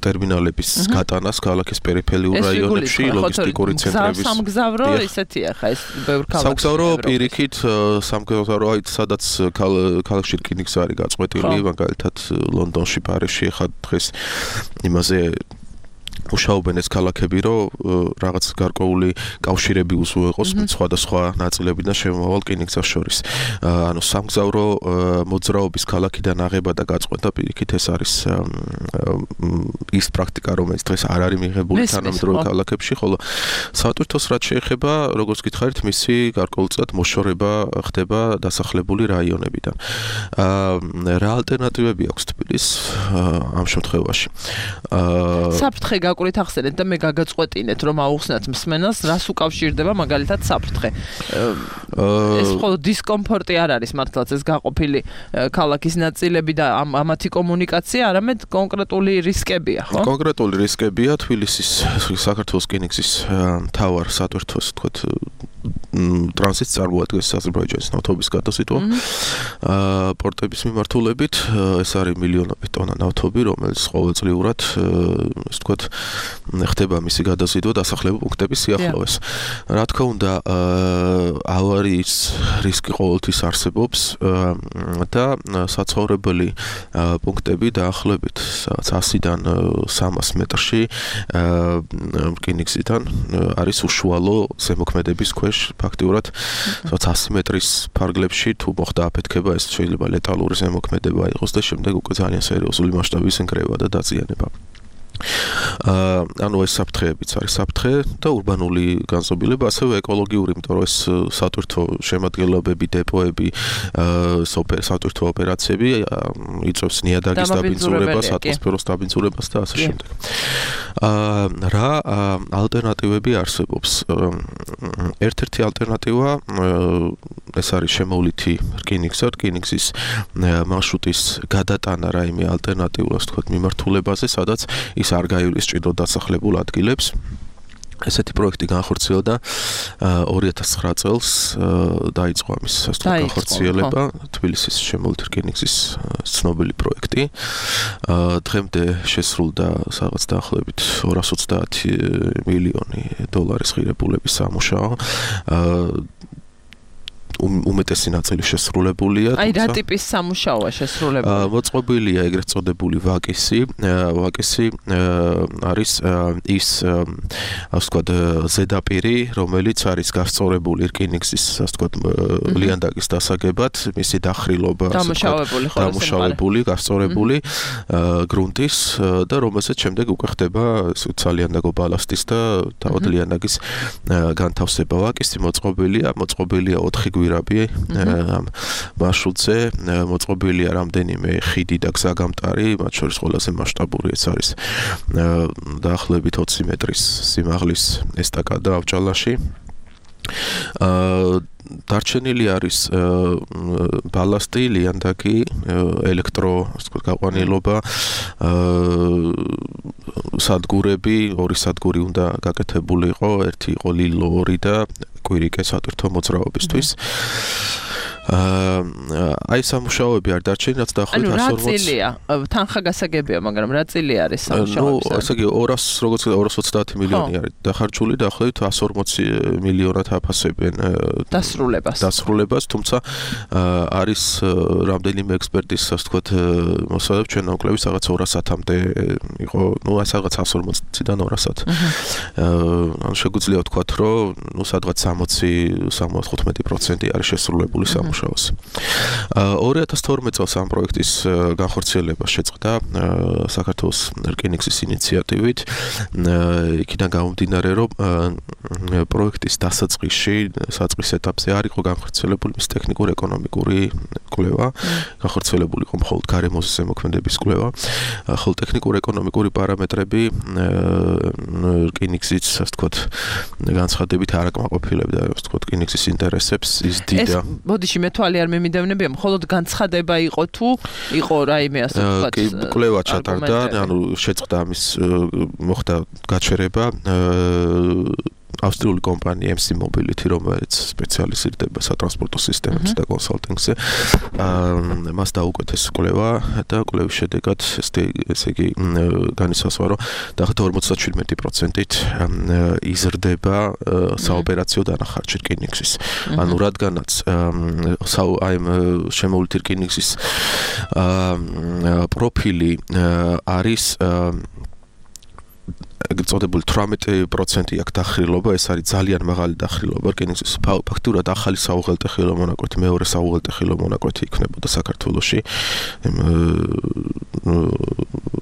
ტერმინალების გატანას ქალაქის პერიფერიულ რაიონებში ლოგისტიკური ცენტრების სამგზავრო ისეთია ხა ეს ბევრ ქალაქში სამგზავრო პირიქით სამგზავრო სადაც ქალაქში რკინიგზა არის გაწყვეტილი მაგალითად ლონდონში პარიზში ხა დღეს იმაზე მუშაობენ ეს ქალაქები, რომ რაღაც გარკვეული კავშირები უზრუნველყოს სხვადასხვა ნაწილებიდან შემოვალ რკინიგზას შორის. ანუ სამგზავრო მოძრაობის ქალაქიდან აღება და გაწყვეტა პირიქით ეს არის ის პრაქტიკა, რომელიც დღეს არ არის მიღებული თანამედროვე ქალაქებში, ხოლო სატვირთოს რაც შეეხება, როგორც გითხარით, მისი გარკვეულწილად მოშორება ხდება დასახლებული რაიონებიდან. რა ალტერნატივები აქვს თბილისს ამ შემთხვევაში? საფრთხე გაკვრით ახსენეთ და მე გაგაწყვეტინეთ რომ აუხსნათ მსმენელს რას უკავშირდება მაგალითად საფრთხე. ეს მხოლოდ დისკომფორტი არ არის მართლაც ეს გაყოფილი ქალაქის ნაწილები და ამათი კომუნიკაცია, არამედ კონკრეტული რისკებია, ხო? კონკრეტული რისკებია თბილისის საქართველოს რკინიგზის მთავარ სატვირთოს თქვათ ტრანზიტს წარმოადგენს აზერბაიჯანის ნავთობის გადაზიდვა პორტების მიმართულებით ეს არის მილიონობით ტონა ნავთობი, რომელიც ყოველწლიურად ასე ვთქვათ ხდება მისი გადაზიდვა დასახლებულ პუნქტების სიახლოვეს. რა თქმა უნდა, ავარიის რისკი ყოველთვის არსებობს და საცხოვრებელი პუნქტები დაახლოებით 100-დან 300 მეტრში რკინიგზიდან არის უშუალო ზემოქმედების ქვეშ ფაქტიურად 100 მეტრის ფარგლებში თუ მოხდა აფეთქება ეს შეიძლება ლეტალური ზემოქმედება იყოს და შემდეგ უკვე ძალიან სერიოზული მასშტაბის ნგრევა და დაზიანება. ანუ ეს საფრთხეებიც არის საფრთხე და ურბანული განზომილება, ასევე ეკოლოგიური, იმიტომ რომ ეს სატვირთო შემადგენლობები, დეპოები, სატვირთო ოპერაციები იწვევს ნიადაგის დაბინძურებას, ატმოსფეროს დაბინძურებას და ასე შემდეგ. რა ალტერნატივები არსებობს? ერთ-ერთი ალტერნატივა ეს არის შემოვლითი რკინიგზის მარშრუტის გადატანა რაიმე ალტერნატიულ, ასე ვთქვათ, მიმართულებაზე, სადაც ის არ გაივლისჭირდო დასახლებულ ადგილებს. ესეთი პროექტი განხორციელდა 2009 წელს დაიწყო ამის ასე ვთქვათ განხორციელება თბილისის შემოვლითი რკინიგზის ცნობილი პროექტი. დღემდე შესრულდა რაღაც დაახლოებით 230 მილიონი დოლარის ღირებულების სამუშაო. უმეტესი ნაწილი შესრულებულია. აი რა ტიპის სამუშაოა შესრულებული? მოწყობილია ეგრეთ წოდებული ვაკისი. ვაკისი არის ის ასე ვთქვათ ზედაპირი, რომელიც არის გასწორებული რკინიგზის ასე ვთქვათ ლიანდაგის დასაგებად, მისი დახრილობა დამუშავებული, გასწორებული გრუნტის და რომელსაც შემდეგ უკვე ხდება სალიანდაგო ბალასტის და თავად liandagis განთავსება. ვაკისი მოწყობილია 4 გვირაბი ამ მარშრუტზე, მოწყობილია რამდენიმე ხიდი და გზაგამტარი, მათ შორის ყველაზე მასშტაბური ეს არის დაახლოებით 20 მეტრის სიმაღლის ესტაკადა ავჭალაში. დარჩენილი არის ბალასტი, ლიანდაგი, ელექტრო გაყვანილობა, სადგურები, ორი სადგური უნდა გაკეთებული იყო, ერთი იყო ლილო 2 და კვირიკე სატვირთო მოძრაობისთვის. აი სამუშაოები არ დარჩენიათ დაახლოებით 140. რა წილია? თანხაგასაგებია, მაგრამ რა წილი არის სამუშაოები? ასე იგი 200 როგორც 230 მილიონი არის დახარჯული, დაახლოებით 140 მილიონად აფასებენ დასრულებას, თუმცა არის რამდენიმე ექსპერტის, ასე ვთქვათ, მოსავალ ჩვენ ნაკლების რაღაც 200-მდე იყო, ეს რაღაც 140-დან 200. ანუ შეგვიძლია ვთქვათ, რომ სადღაც 60-75% არის შესრულებული სამუშაო. სამუშაოს. 2012 წელს ამ პროექტის განხორციელება შეწყდა საქართველოს რკინიგზის ინიციატივით. იქიდან გამომდინარე, რომ პროექტის დასაწყისში, საწყის ეტაპზე არ იყო განხორციელებული მის ტექნიკურ-ეკონომიკური კვლევა, განხორციელებული იყო მხოლოდ გარემოზე ზემოქმედების კვლევა, ხოლო ტექნიკურ-ეკონომიკური პარამეტრები რკინიგზის, ასე ვთქვათ, განცხადებით არ აკმაყოფილებდა, ასე ვთქვათ, რკინიგზის ინტერესებს ის დიდა. ბოდიში მე თვალი არ მემიდევნებია, მხოლოდ განცხადება იყო თუ იყო რაიმე, ასე ვთქვათ, კი, კვლევა ჩატარდა, ანუ შეწყდა ამის მოხდა გაჩერება ავსტრიული კომპანია MC Mobility, რომელიც სპეციალიზირდება სატრანსპორტო სისტემებზე და კონსალტინგზე, მას დაუკვეთეს კვლევა და კვლევის შედეგად ესე იგი განისაზღვრა, რომ დაახლოებით 57%-ით იზრდება საოპერაციო დანახარჯი რკინიგზის. ანუ რადგანაც აი შემოვლითი რკინიგზის პროფილი არის წოდებული 18% აქ დახრილობა, ეს არის ძალიან მაღალი დახრილობა რკინიგზის. ფაქტურად ახალი საუღელტეხილო მონაკვეთი, მეორე საუღელტეხილო მონაკვეთი იქნებოდა საქართველოში.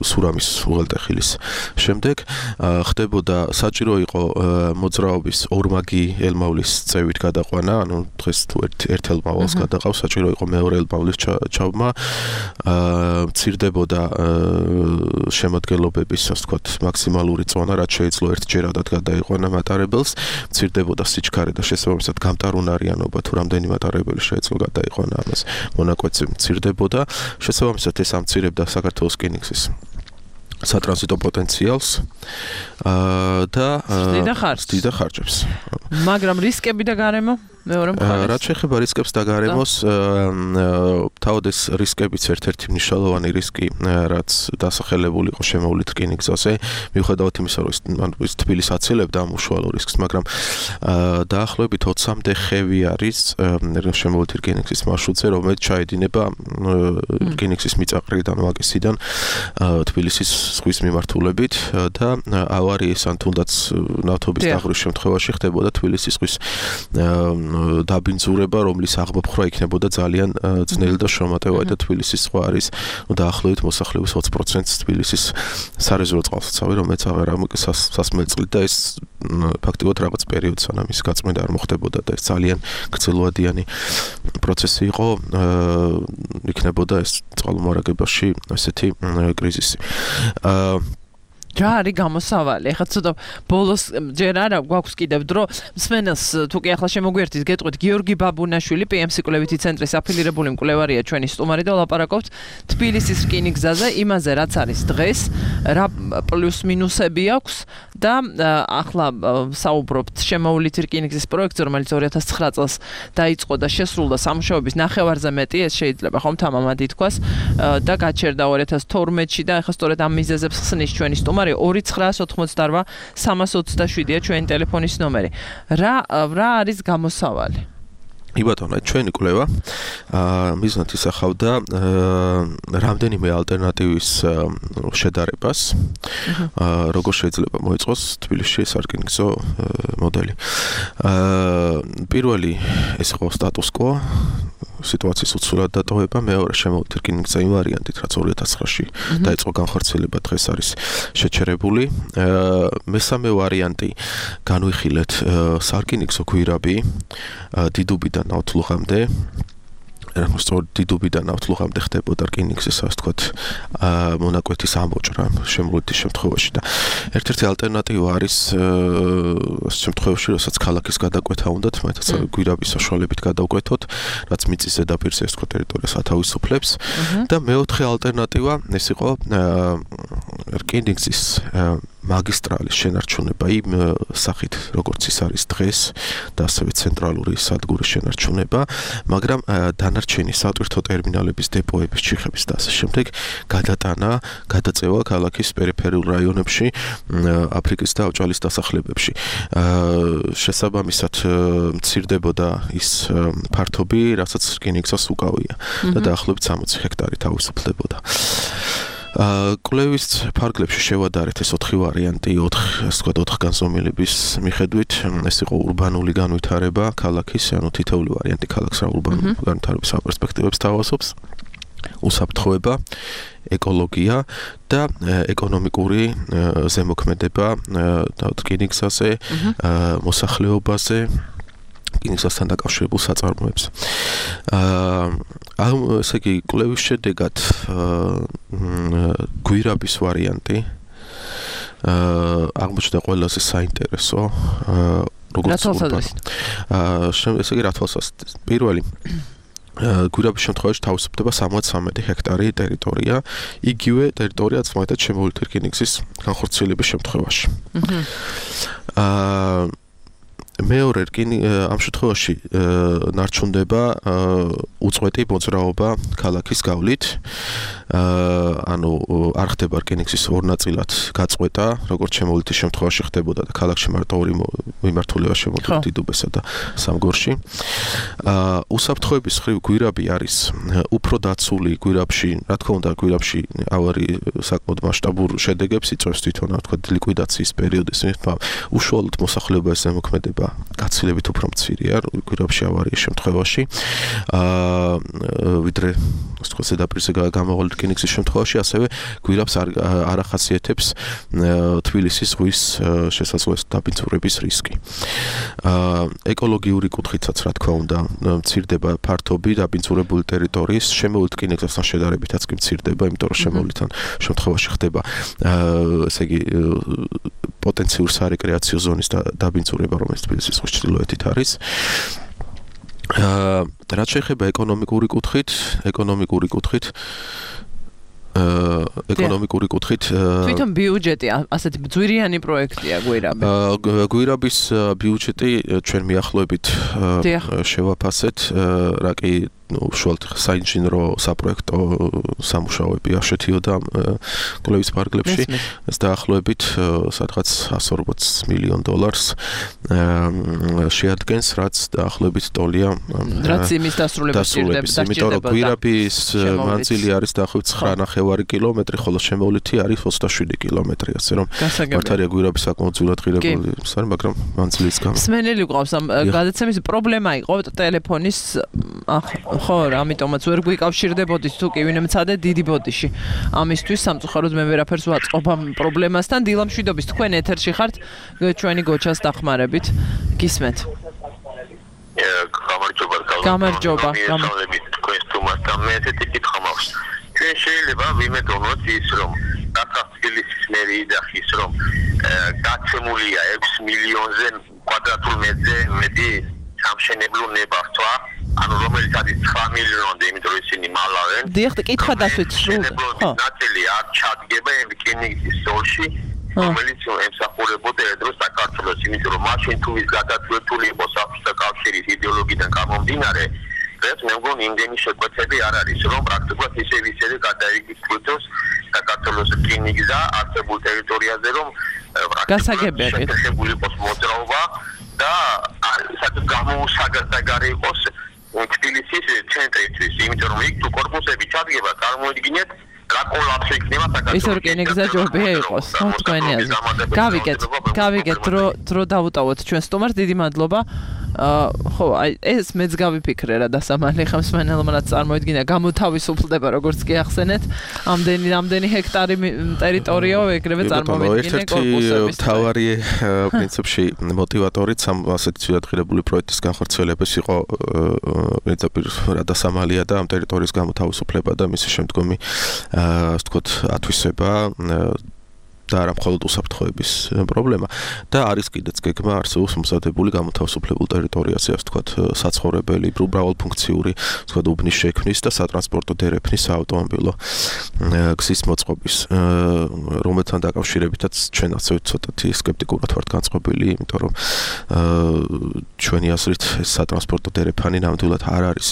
სურამის უღელტეხილის შემდეგ ხდებოდა საჭირო იყო მოძრაობის ორმაგი ელმავლის წევით გადაყვანა, ანუ დღეს თუ ერთ ელმავალს გადაყავს, საჭირო იყო მეორე ელმავლის ჩავმა. მცირდებოდა შემოდგენლობების, ასე ვთქვათ, მაქსიმალური წონა, რაც შეიძლება ერთჯერადად გადაიყვანა მატარებელს, მცირდებოდა სიჩქარე და შესაბამისად გამტარუნარიანობა, თუ რამდენი მატარებელი შეიძლება გადაიყვანა ამას მონაკვეთზე მცირდებოდა. შესაბამისად ეს ამცირებდა საქართველოს რკინიგზის სატრანზიტო პოტენციალს და ზრდიდა ხარჯებს. მაგრამ რისკები და გარემო მეორე მხარეს. რაც შეეხება რისკებს და გარემოს, თავად ეს რისკებიც ერთ-ერთი მნიშვნელოვანი რისკი, რაც დასახელებული იყო შემოვლით რკინიგზაზე, მიუხედავად იმისა, რომ ის თბილისს აცილებდა ამ უშუალო რისკს, მაგრამ დაახლოებით 20-მდე ხევი არის შემოვლით რკინიგზის მარშრუტზე, რომელიც ჩაედინება რკინიგზის მიწაყრიდან, ვაკისიდან თბილისის ზღვის მიმართულებით და ავარიის ან თუნდაც ნავთობის დაღვრვის შემთხვევაში ხდებოდა თბილისის ზღვის დაბინძურება, რომლის აღმოფხვრა იქნებოდა ძალიან ძნელი და შრომატევადი და თბილისის ზღვა არის დაახლოებით მოსახლეობის 20%-ს თბილისის სარეზერვო წყალსაცავი, რომელიც აღარ სასმელწლით და ეს ფაქტობრივად რაღაც პერიოდი სანამ ის გაწმენდა არ მოხდებოდა და ეს ძალიან გრძელვადიანი პროცესი იყო, იქნებოდა ეს წყალმომარაგებაში ესეთი კრიზისი. რა არის გამოსავალი? ეხლა ცოტა ბოლოს ჯერ არა გვაქვს კიდევ დრო. მსმენელს თუ კი ახლა შემოგვიერთით, გეტყვით გიორგი ბაბუნაშვილი, PMC კვლევითი ცენტრის აფილირებული მკვლევარია ჩვენი სტუმარი და ვლაპარაკობთ თბილისის რკინიგზაზე, იმაზე რაც არის დღეს, რა პლუს მინუსები აქვს და ახლა საუბრობთ შემოვლითი რკინიგზის პროექტზე, რომელიც 2009 წელს დაიწყო და შესრულდა სამუშაოების ნახევარზე მეტი, ეს შეიძლება ხომ თამამად ითქვას და გაჩერდა 2012-ში და ახლა სწორედ ამ მიზეზებს ხსნის ჩვენი სტუმარი 2988-327-ია ჩვენი ტელეფონის ნომერი. რა არის გამოსავალი? იბატონო, ჩვენი კვლევა მიზნად ისახავდა რამდენიმე ალტერნატივის შედარებას, როგორ შეიძლება მოეწყოს თბილისში სარკინიგზო მოდელი. პირველი ეს იყო სტატუს კვო, სიტუაციის უცვლელად დატოვება, მეორე შემოვლით რკინიგზა იმ ვარიანტით, რაც 2009-ში დაიწყო განხორციელება, დღეს არის შეჩერებული. მესამე ვარიანტი განვიხილეთ სარკინიგზო გვირაბი დიდუბიდან ნავთლუღამდე. სწორედ დიდუბიდან ნავთლუღამდე ხდებოდა რკინიგზის, ასე ვთქვათ, მონაკვეთის ამოჭრა შემოვლითის შემთხვევაში და ერთ-ერთი ალტერნატივა არის შემთხვევაში, როდესაც ქალაქის გადაკვეთა უნდათ, მაგათაც გვირაბის საშუალებით გადავკვეთოთ, რაც მიწის ზედაპირზე, ასე ვთქვათ, ტერიტორიას ათავისუფლებს და მეოთხე ალტერნატივა ეს იყო რკინიგზის მაგისტრალის შენარჩუნება იმ სახით, როგორც ის არის დღეს და ასევე ცენტრალური სადგურის შენარჩუნება, მაგრამ დანარჩენი სატვირთო ტერმინალების, დეპოების, ჩიხების და ასე შემდეგ გადატანა, გადაწევა ქალაქის პერიფერიულ რაიონებში, აფრიკის და ავჭალის დასახლებებში. შესაბამისად მცირდებოდა ის ფართობი, რასაც რკინიგზას უკავია და დაახლოებით 60 ჰექტარი თავისუფლდებოდა. კვლევის ფარგლებში შევადარეთ ეს 4 ვარიანტი, 4 განზომილების მიხედვით, ეს იყო ურბანული განვითარება ქალაქის, ანუ თითოეული ვარიანტი ქალაქს რა ურბანული განვითარების პერსპექტივებს თავაზობს. უსაფრთხოება, ეკოლოგია და ეკონომიკური ზემოქმედება რკინიგზაზე, მოსახლეობაზე, რკინიგზასთან დაკავშირებულ საწარმოებს. ესე იგი, კვლევის შედეგად გვირაბის ვარიანტი აღმოჩნდა ყველაზე საინტერესო, როგორც ესე იგი, რა თვალსაზრისით. პირველი გვირაბის შემთხვევაში თავისუფლდება 73 ჰექტარი ტერიტორია, იგივე ტერიტორიაც მაგათ შემოვლითი რკინიგზის განხორციელების შემთხვევაში. მეორე ამ შემთხვევაში ნარჩუნდება უწყვეტი მოძრაობა ქალაქის გავლით. ანუ არ ხდება რკინიგზის ორ ნაწილად გაწყვეტა, როგორც შემოვლითის შემთხვევაში ხდებოდა და ქალაქში მარტო ორი მიმართულება შემოდის დიდუბესა და სამგორში. უსაფრთხოების ხრივ გვირაბი არის უფრო დაცული გვირაბში, რა თქმა უნდა, გვირაბში ავარი საკმაოდ მასშტაბურ შედეგებს იწვევს თვითონ, რა თქვა, ლიკვიდაციის პერიოდის მიხედვით, უშუალოდ მოსახლეობის ზემოქმედება გაცილებით უფრო მცირეა გვირაბში ავარიის შემთხვევაში. ვიდრე ასე ვთქვათ, ზედაპირზე გამოვალ რკინიგზის შემთხვევაში, ასევე გვირაბს არ ახასიათებს თბილისის ზღვის შესაძლოა დაბინძურების რისკი. ეკოლოგიური კუთხითაც, რა თქმა უნდა, მცირდება ფართობი დაბინძურებული ტერიტორიის, შემოვლით რკინიგზასთან შედარებითაც კი მცირდება, იმიტომ რომ შემოვლიდან შემთხვევაში ხდება ესე იგი პოტენციური სარეკრეაციო ზონის დაბინძურება, რომელიც თბილისის ზღვის ჩრდილოეთით არის. რაც შეეხება ეკონომიკური კუთხით, თვითონ ბიუჯეტი ასეთი ძვირიანი პროექტია გვირაბი. გვირაბის ბიუჯეტი ჩვენ მიახლოებით შევაფასეთ, რა კი უშუალოდ საინჟინრო საპროექტო სამუშაოები არ შედიოდა კვლევის ფარგლებში. ეს დაახლოებით სადღაც $140 მილიონ შეადგენს, რაც დაახლოებით ტოლია რაც იმის დასრულებას ჭირდება. იმიტომ რომ გვირაბის მანძილი არის დაახლოებით 9.5 კილომეტრი, ხოლო შემოვლითი არის 27 კილომეტრი, ასე რომ მართალია გვირაბი საკმაოდ ძვირად ღირებული არის, მაგრამ მანძილის გამო. სმენელი გვყავს ამ გადაცემის პრობლემა იყო ტელეფონის ხო, ამიტომაც ვერ გვიკავშირდებოდით თუ კი ვინმე მცადე დიდი ბოდიში. ამისთვის სამწუხაროდ მე ვერაფერს ვაწყობ ამ პრობლემასთან. დილა მშვიდობის, თქვენ ეთერში ხართ, ჩვენი გოჩას დახმარებით. გისმენთ. გამარჯობა. თქვენ სტუმართან მე ესეთი კითხვა მაქვს. ჩვენ შეიძლება ვიმედოვნოთ ის, რომ დაფასების მერი და ის რომ გაცემულია 6 მილიონზე კვადრატულ მეტრზე მეტი სამშენებლო ნებართვა. ანუ რომელიც არის 9 მილიონამდე, იმიტომ რომ ისინი მალავენ. დიახ, კითხვა დასვით სრულად. ხო. ნაწილი არ ჩადგება რკინიგზის ზოლში, რომელიც ემსახურებოდა ერთდროს საქართველოს, იმიტომ რომ მაშინ თუ ის გადაწყვეტილი იყო საბჭოთა კავშირის იდეოლოგიიდან გამომდინარე, ეს მე მგონი იმდენი შეკვეთები არ არის, რომ პრაქტიკულად ისე გადაიგრძნოს საქართველოს რკინიგზა არსებულ ტერიტორიაზე, რომ გასაგებია შეგული იყოს მოძრაობა და სადაც გამოუსაგარი იყოს თბილისის ცენტრისთვის, იმიტომ რომ იქ თუ კორპუსები ჩადგება, წარმოიდგინეთ რა კოლაფსი იქნება საქართველოს. ის რკინიგზა ჯობია იყოს, ხო, თქვენი აზრით. გავიგეთ, დრო დავუტოვოთ ჩვენ სტუმარს, დიდი მადლობა. ხო, აი ეს მეც გავიფიქრე რა დასამალი ხა მსმენელმა რაც წარმოიდგინა გამოთავისუფლდება როგორც კი ახსენეთ ამდენი ჰექტარი ტერიტორიო ეგრევე წარმოვიდგინე კორპუსების. ერთ-ერთი თავარი პრინციპში მოტივატორიც ამ ასეთი ცილადღირებული პროექტის განხორციელების იყო პირდაპირ რა დასამალია და ამ ტერიტორიის გამოთავისუფლება და მისი შემდგომი ასე ვთქვათ ათვისება და არა მხოლოდ უსაფრთხოების პრობლემა და არის კიდეც გეგმა არსებობს მომზადებული გამოთავისუფლებულ ტერიტორიაზე, ასე ვთქვათ, საცხოვრებელი, მრავალფუნქციური, ასე ვთქვათ, უბნის შექმნის და სატრანსპორტო დერეფნის საავტომობილო გზის მოწყობის, რომელთან დაკავშირებითაც ჩვენ ასევე ცოტათი სკეპტიკურად ვართ განწყობილი, იმიტომ რომ ჩვენი აზრით სატრანსპორტო დერეფანი ნამდვილად არ არის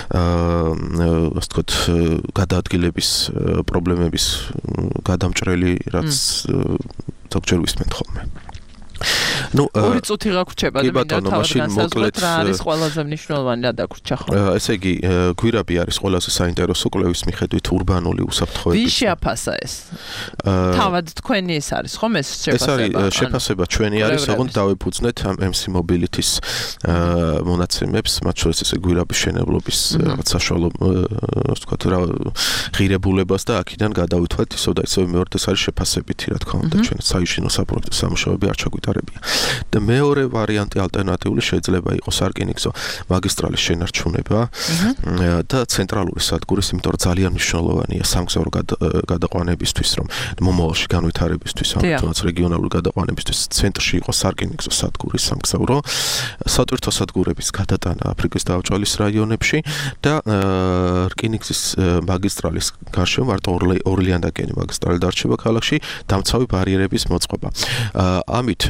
ასე ვთქვათ, გადაადგილების პრობლემების გადამჭრელი, რაც ზოგჯერ ვისმენთ ხოლმე. ნუ ორი წუთი გაგვრჩება და მინდა თავად რა არის ყველაზე მნიშვნელოვანი რა დაგვრჩა ხო? ესე იგი, გვირაბი არის ყველაზე საინტერესო კვლევის მიხედვით ურბანული უსაფრთხოების. ვის შეაფასა ეს? თავად თქვენი ეს არის ხომ ეს შეფასება? ეს არის შეფასება ჩვენი არის, ოღონდ დავეფუძნეთ MC Mobility-ს მონაცემებს, მათ შორის ესე გვირაბის შენებლობის რაღაც საშუალო ასე ვთქვათ რა ღირებულებას და აქედან გადავითვალეთ ისევ და ისევ მეორე ეს არის შეფასებითი რა თქმა უნდა ჩვენ საიჟინო საპროექტო სამუშაოები არ ჩაგვიტარებია. და მეორე ვარიანტი ალტერნატიული შეიძლება იყოს არკინიგზო მაგისტრალის შენარჩუნება და ცენტრალური სადგურის, იმიტომ რომ ძალიან მნიშვნელოვანია სამგზავრო გადაყვანებისთვის, რომ მომავალში განვითარებისთვის, თუნდაც რეგიონალური გადაყვანებისთვის ცენტრში იყოს არკინიგზო სადგურის სამგზავრო, სატვირთო სადგურების გადატანა აფრიკის დაუჭალის რაიონებში და რკინიგზის მაგისტრალის გარშემო მარტო ორლეანდაკენი მაგისტრალი დარჩება ქალაქში, დამცავი ბარიერების მოწყობა. ამით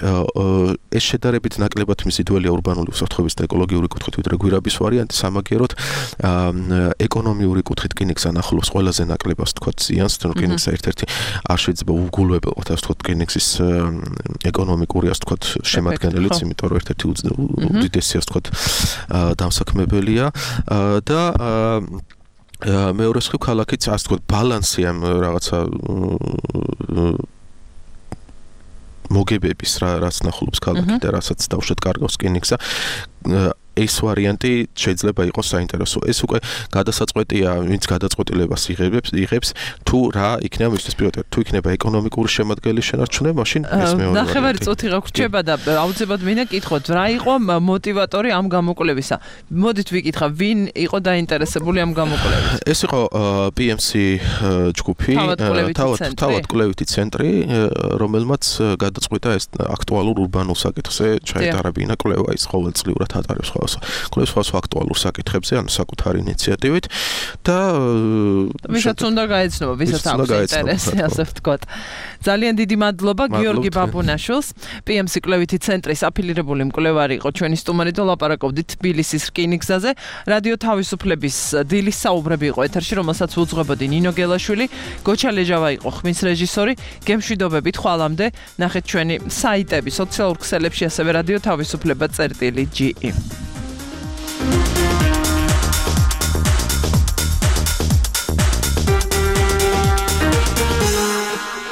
ეს შედარებით ნაკლებად მზიდველია ურბანული უსაფრთხოების და ეკოლოგიური კუთხით, ვიდრე გვირაბის ვარიანტი, სამაგიეროდ ეკონომიური კუთხით რკინიგზს ანახულობს ყველაზე ნაკლებად თქვა ზიანს, თუ რკინიგზს ერთ-ერთი არ შეიძლება უგულებელყოთ, ასე თქვა რკინიგზის ეკონომიკური ასე თქვა შემადგენელიც, იმიტომ რომ ერთ-ერთი უდიდესი ასე თქვა დამსაქმებელია და მეორე მხრივ ქალაქიც ასე თქვა ბალანსი ამ რაღაცა მოგებების რაც ნახულობს ქალაქი და რასაც დავუშვათ კარგავს რკინიგზა ეს ვარიანტი შეიძლება იყოს საინტერესო. ეს უკვე გადასაწყვეტია, ვინც გადაწყვეტილებას იღებს, თუ რა იქნება მისთვის პირდაპირ, თუ იქნება ეკონომიკური შემადგენელი შენარჩუნება, მაშინ ეს მეორე. ნახევარი წუთი გაგვრჩება და აუცილებლად მინდა კითხოთ, რა იყო მოტივატორი ამ გამოკვლევისა? მოდით ვიკითხა, ვინ იყო დაინტერესებული ამ გამოკვლევით? ეს იყო PMC ჯგუფი, თავად კვლევითი ცენტრი, რომელმაც გადაწყვიტა ეს აქტუალურ ურბანულ საკითხზე ჩაეტარებინა კვლევა, ის ყოველწლიურად ატარებს კვლევის აქტუალურ საკითხებზე, ანუ საკუთარი ინიციატივით და ვისაც უნდა გაეცნობა, ვისაც აქვს ინტერესი, ასე ვთქვათ. ძალიან დიდი მადლობა გიორგი ბაბუნაშვილს, PMC კვლევითი ცენტრის აფილირებული მკვლევარი იყო ჩვენი სტუმარი და ლაპარაკობდით თბილისის რკინიგზაზე. რადიო თავისუფლების დილის საუბრები იყო ეთერში, რომელსაც უძღვებოდი ნინო გელაშვილი, გოჩა ლეჟავა იყო ხმის რეჟისორი. გემშვიდობებით ხვალამდე ნახეთ ჩვენი საიტები, სოციალურ ქსელებში, ასევე რადიო თავისუფლება.ge.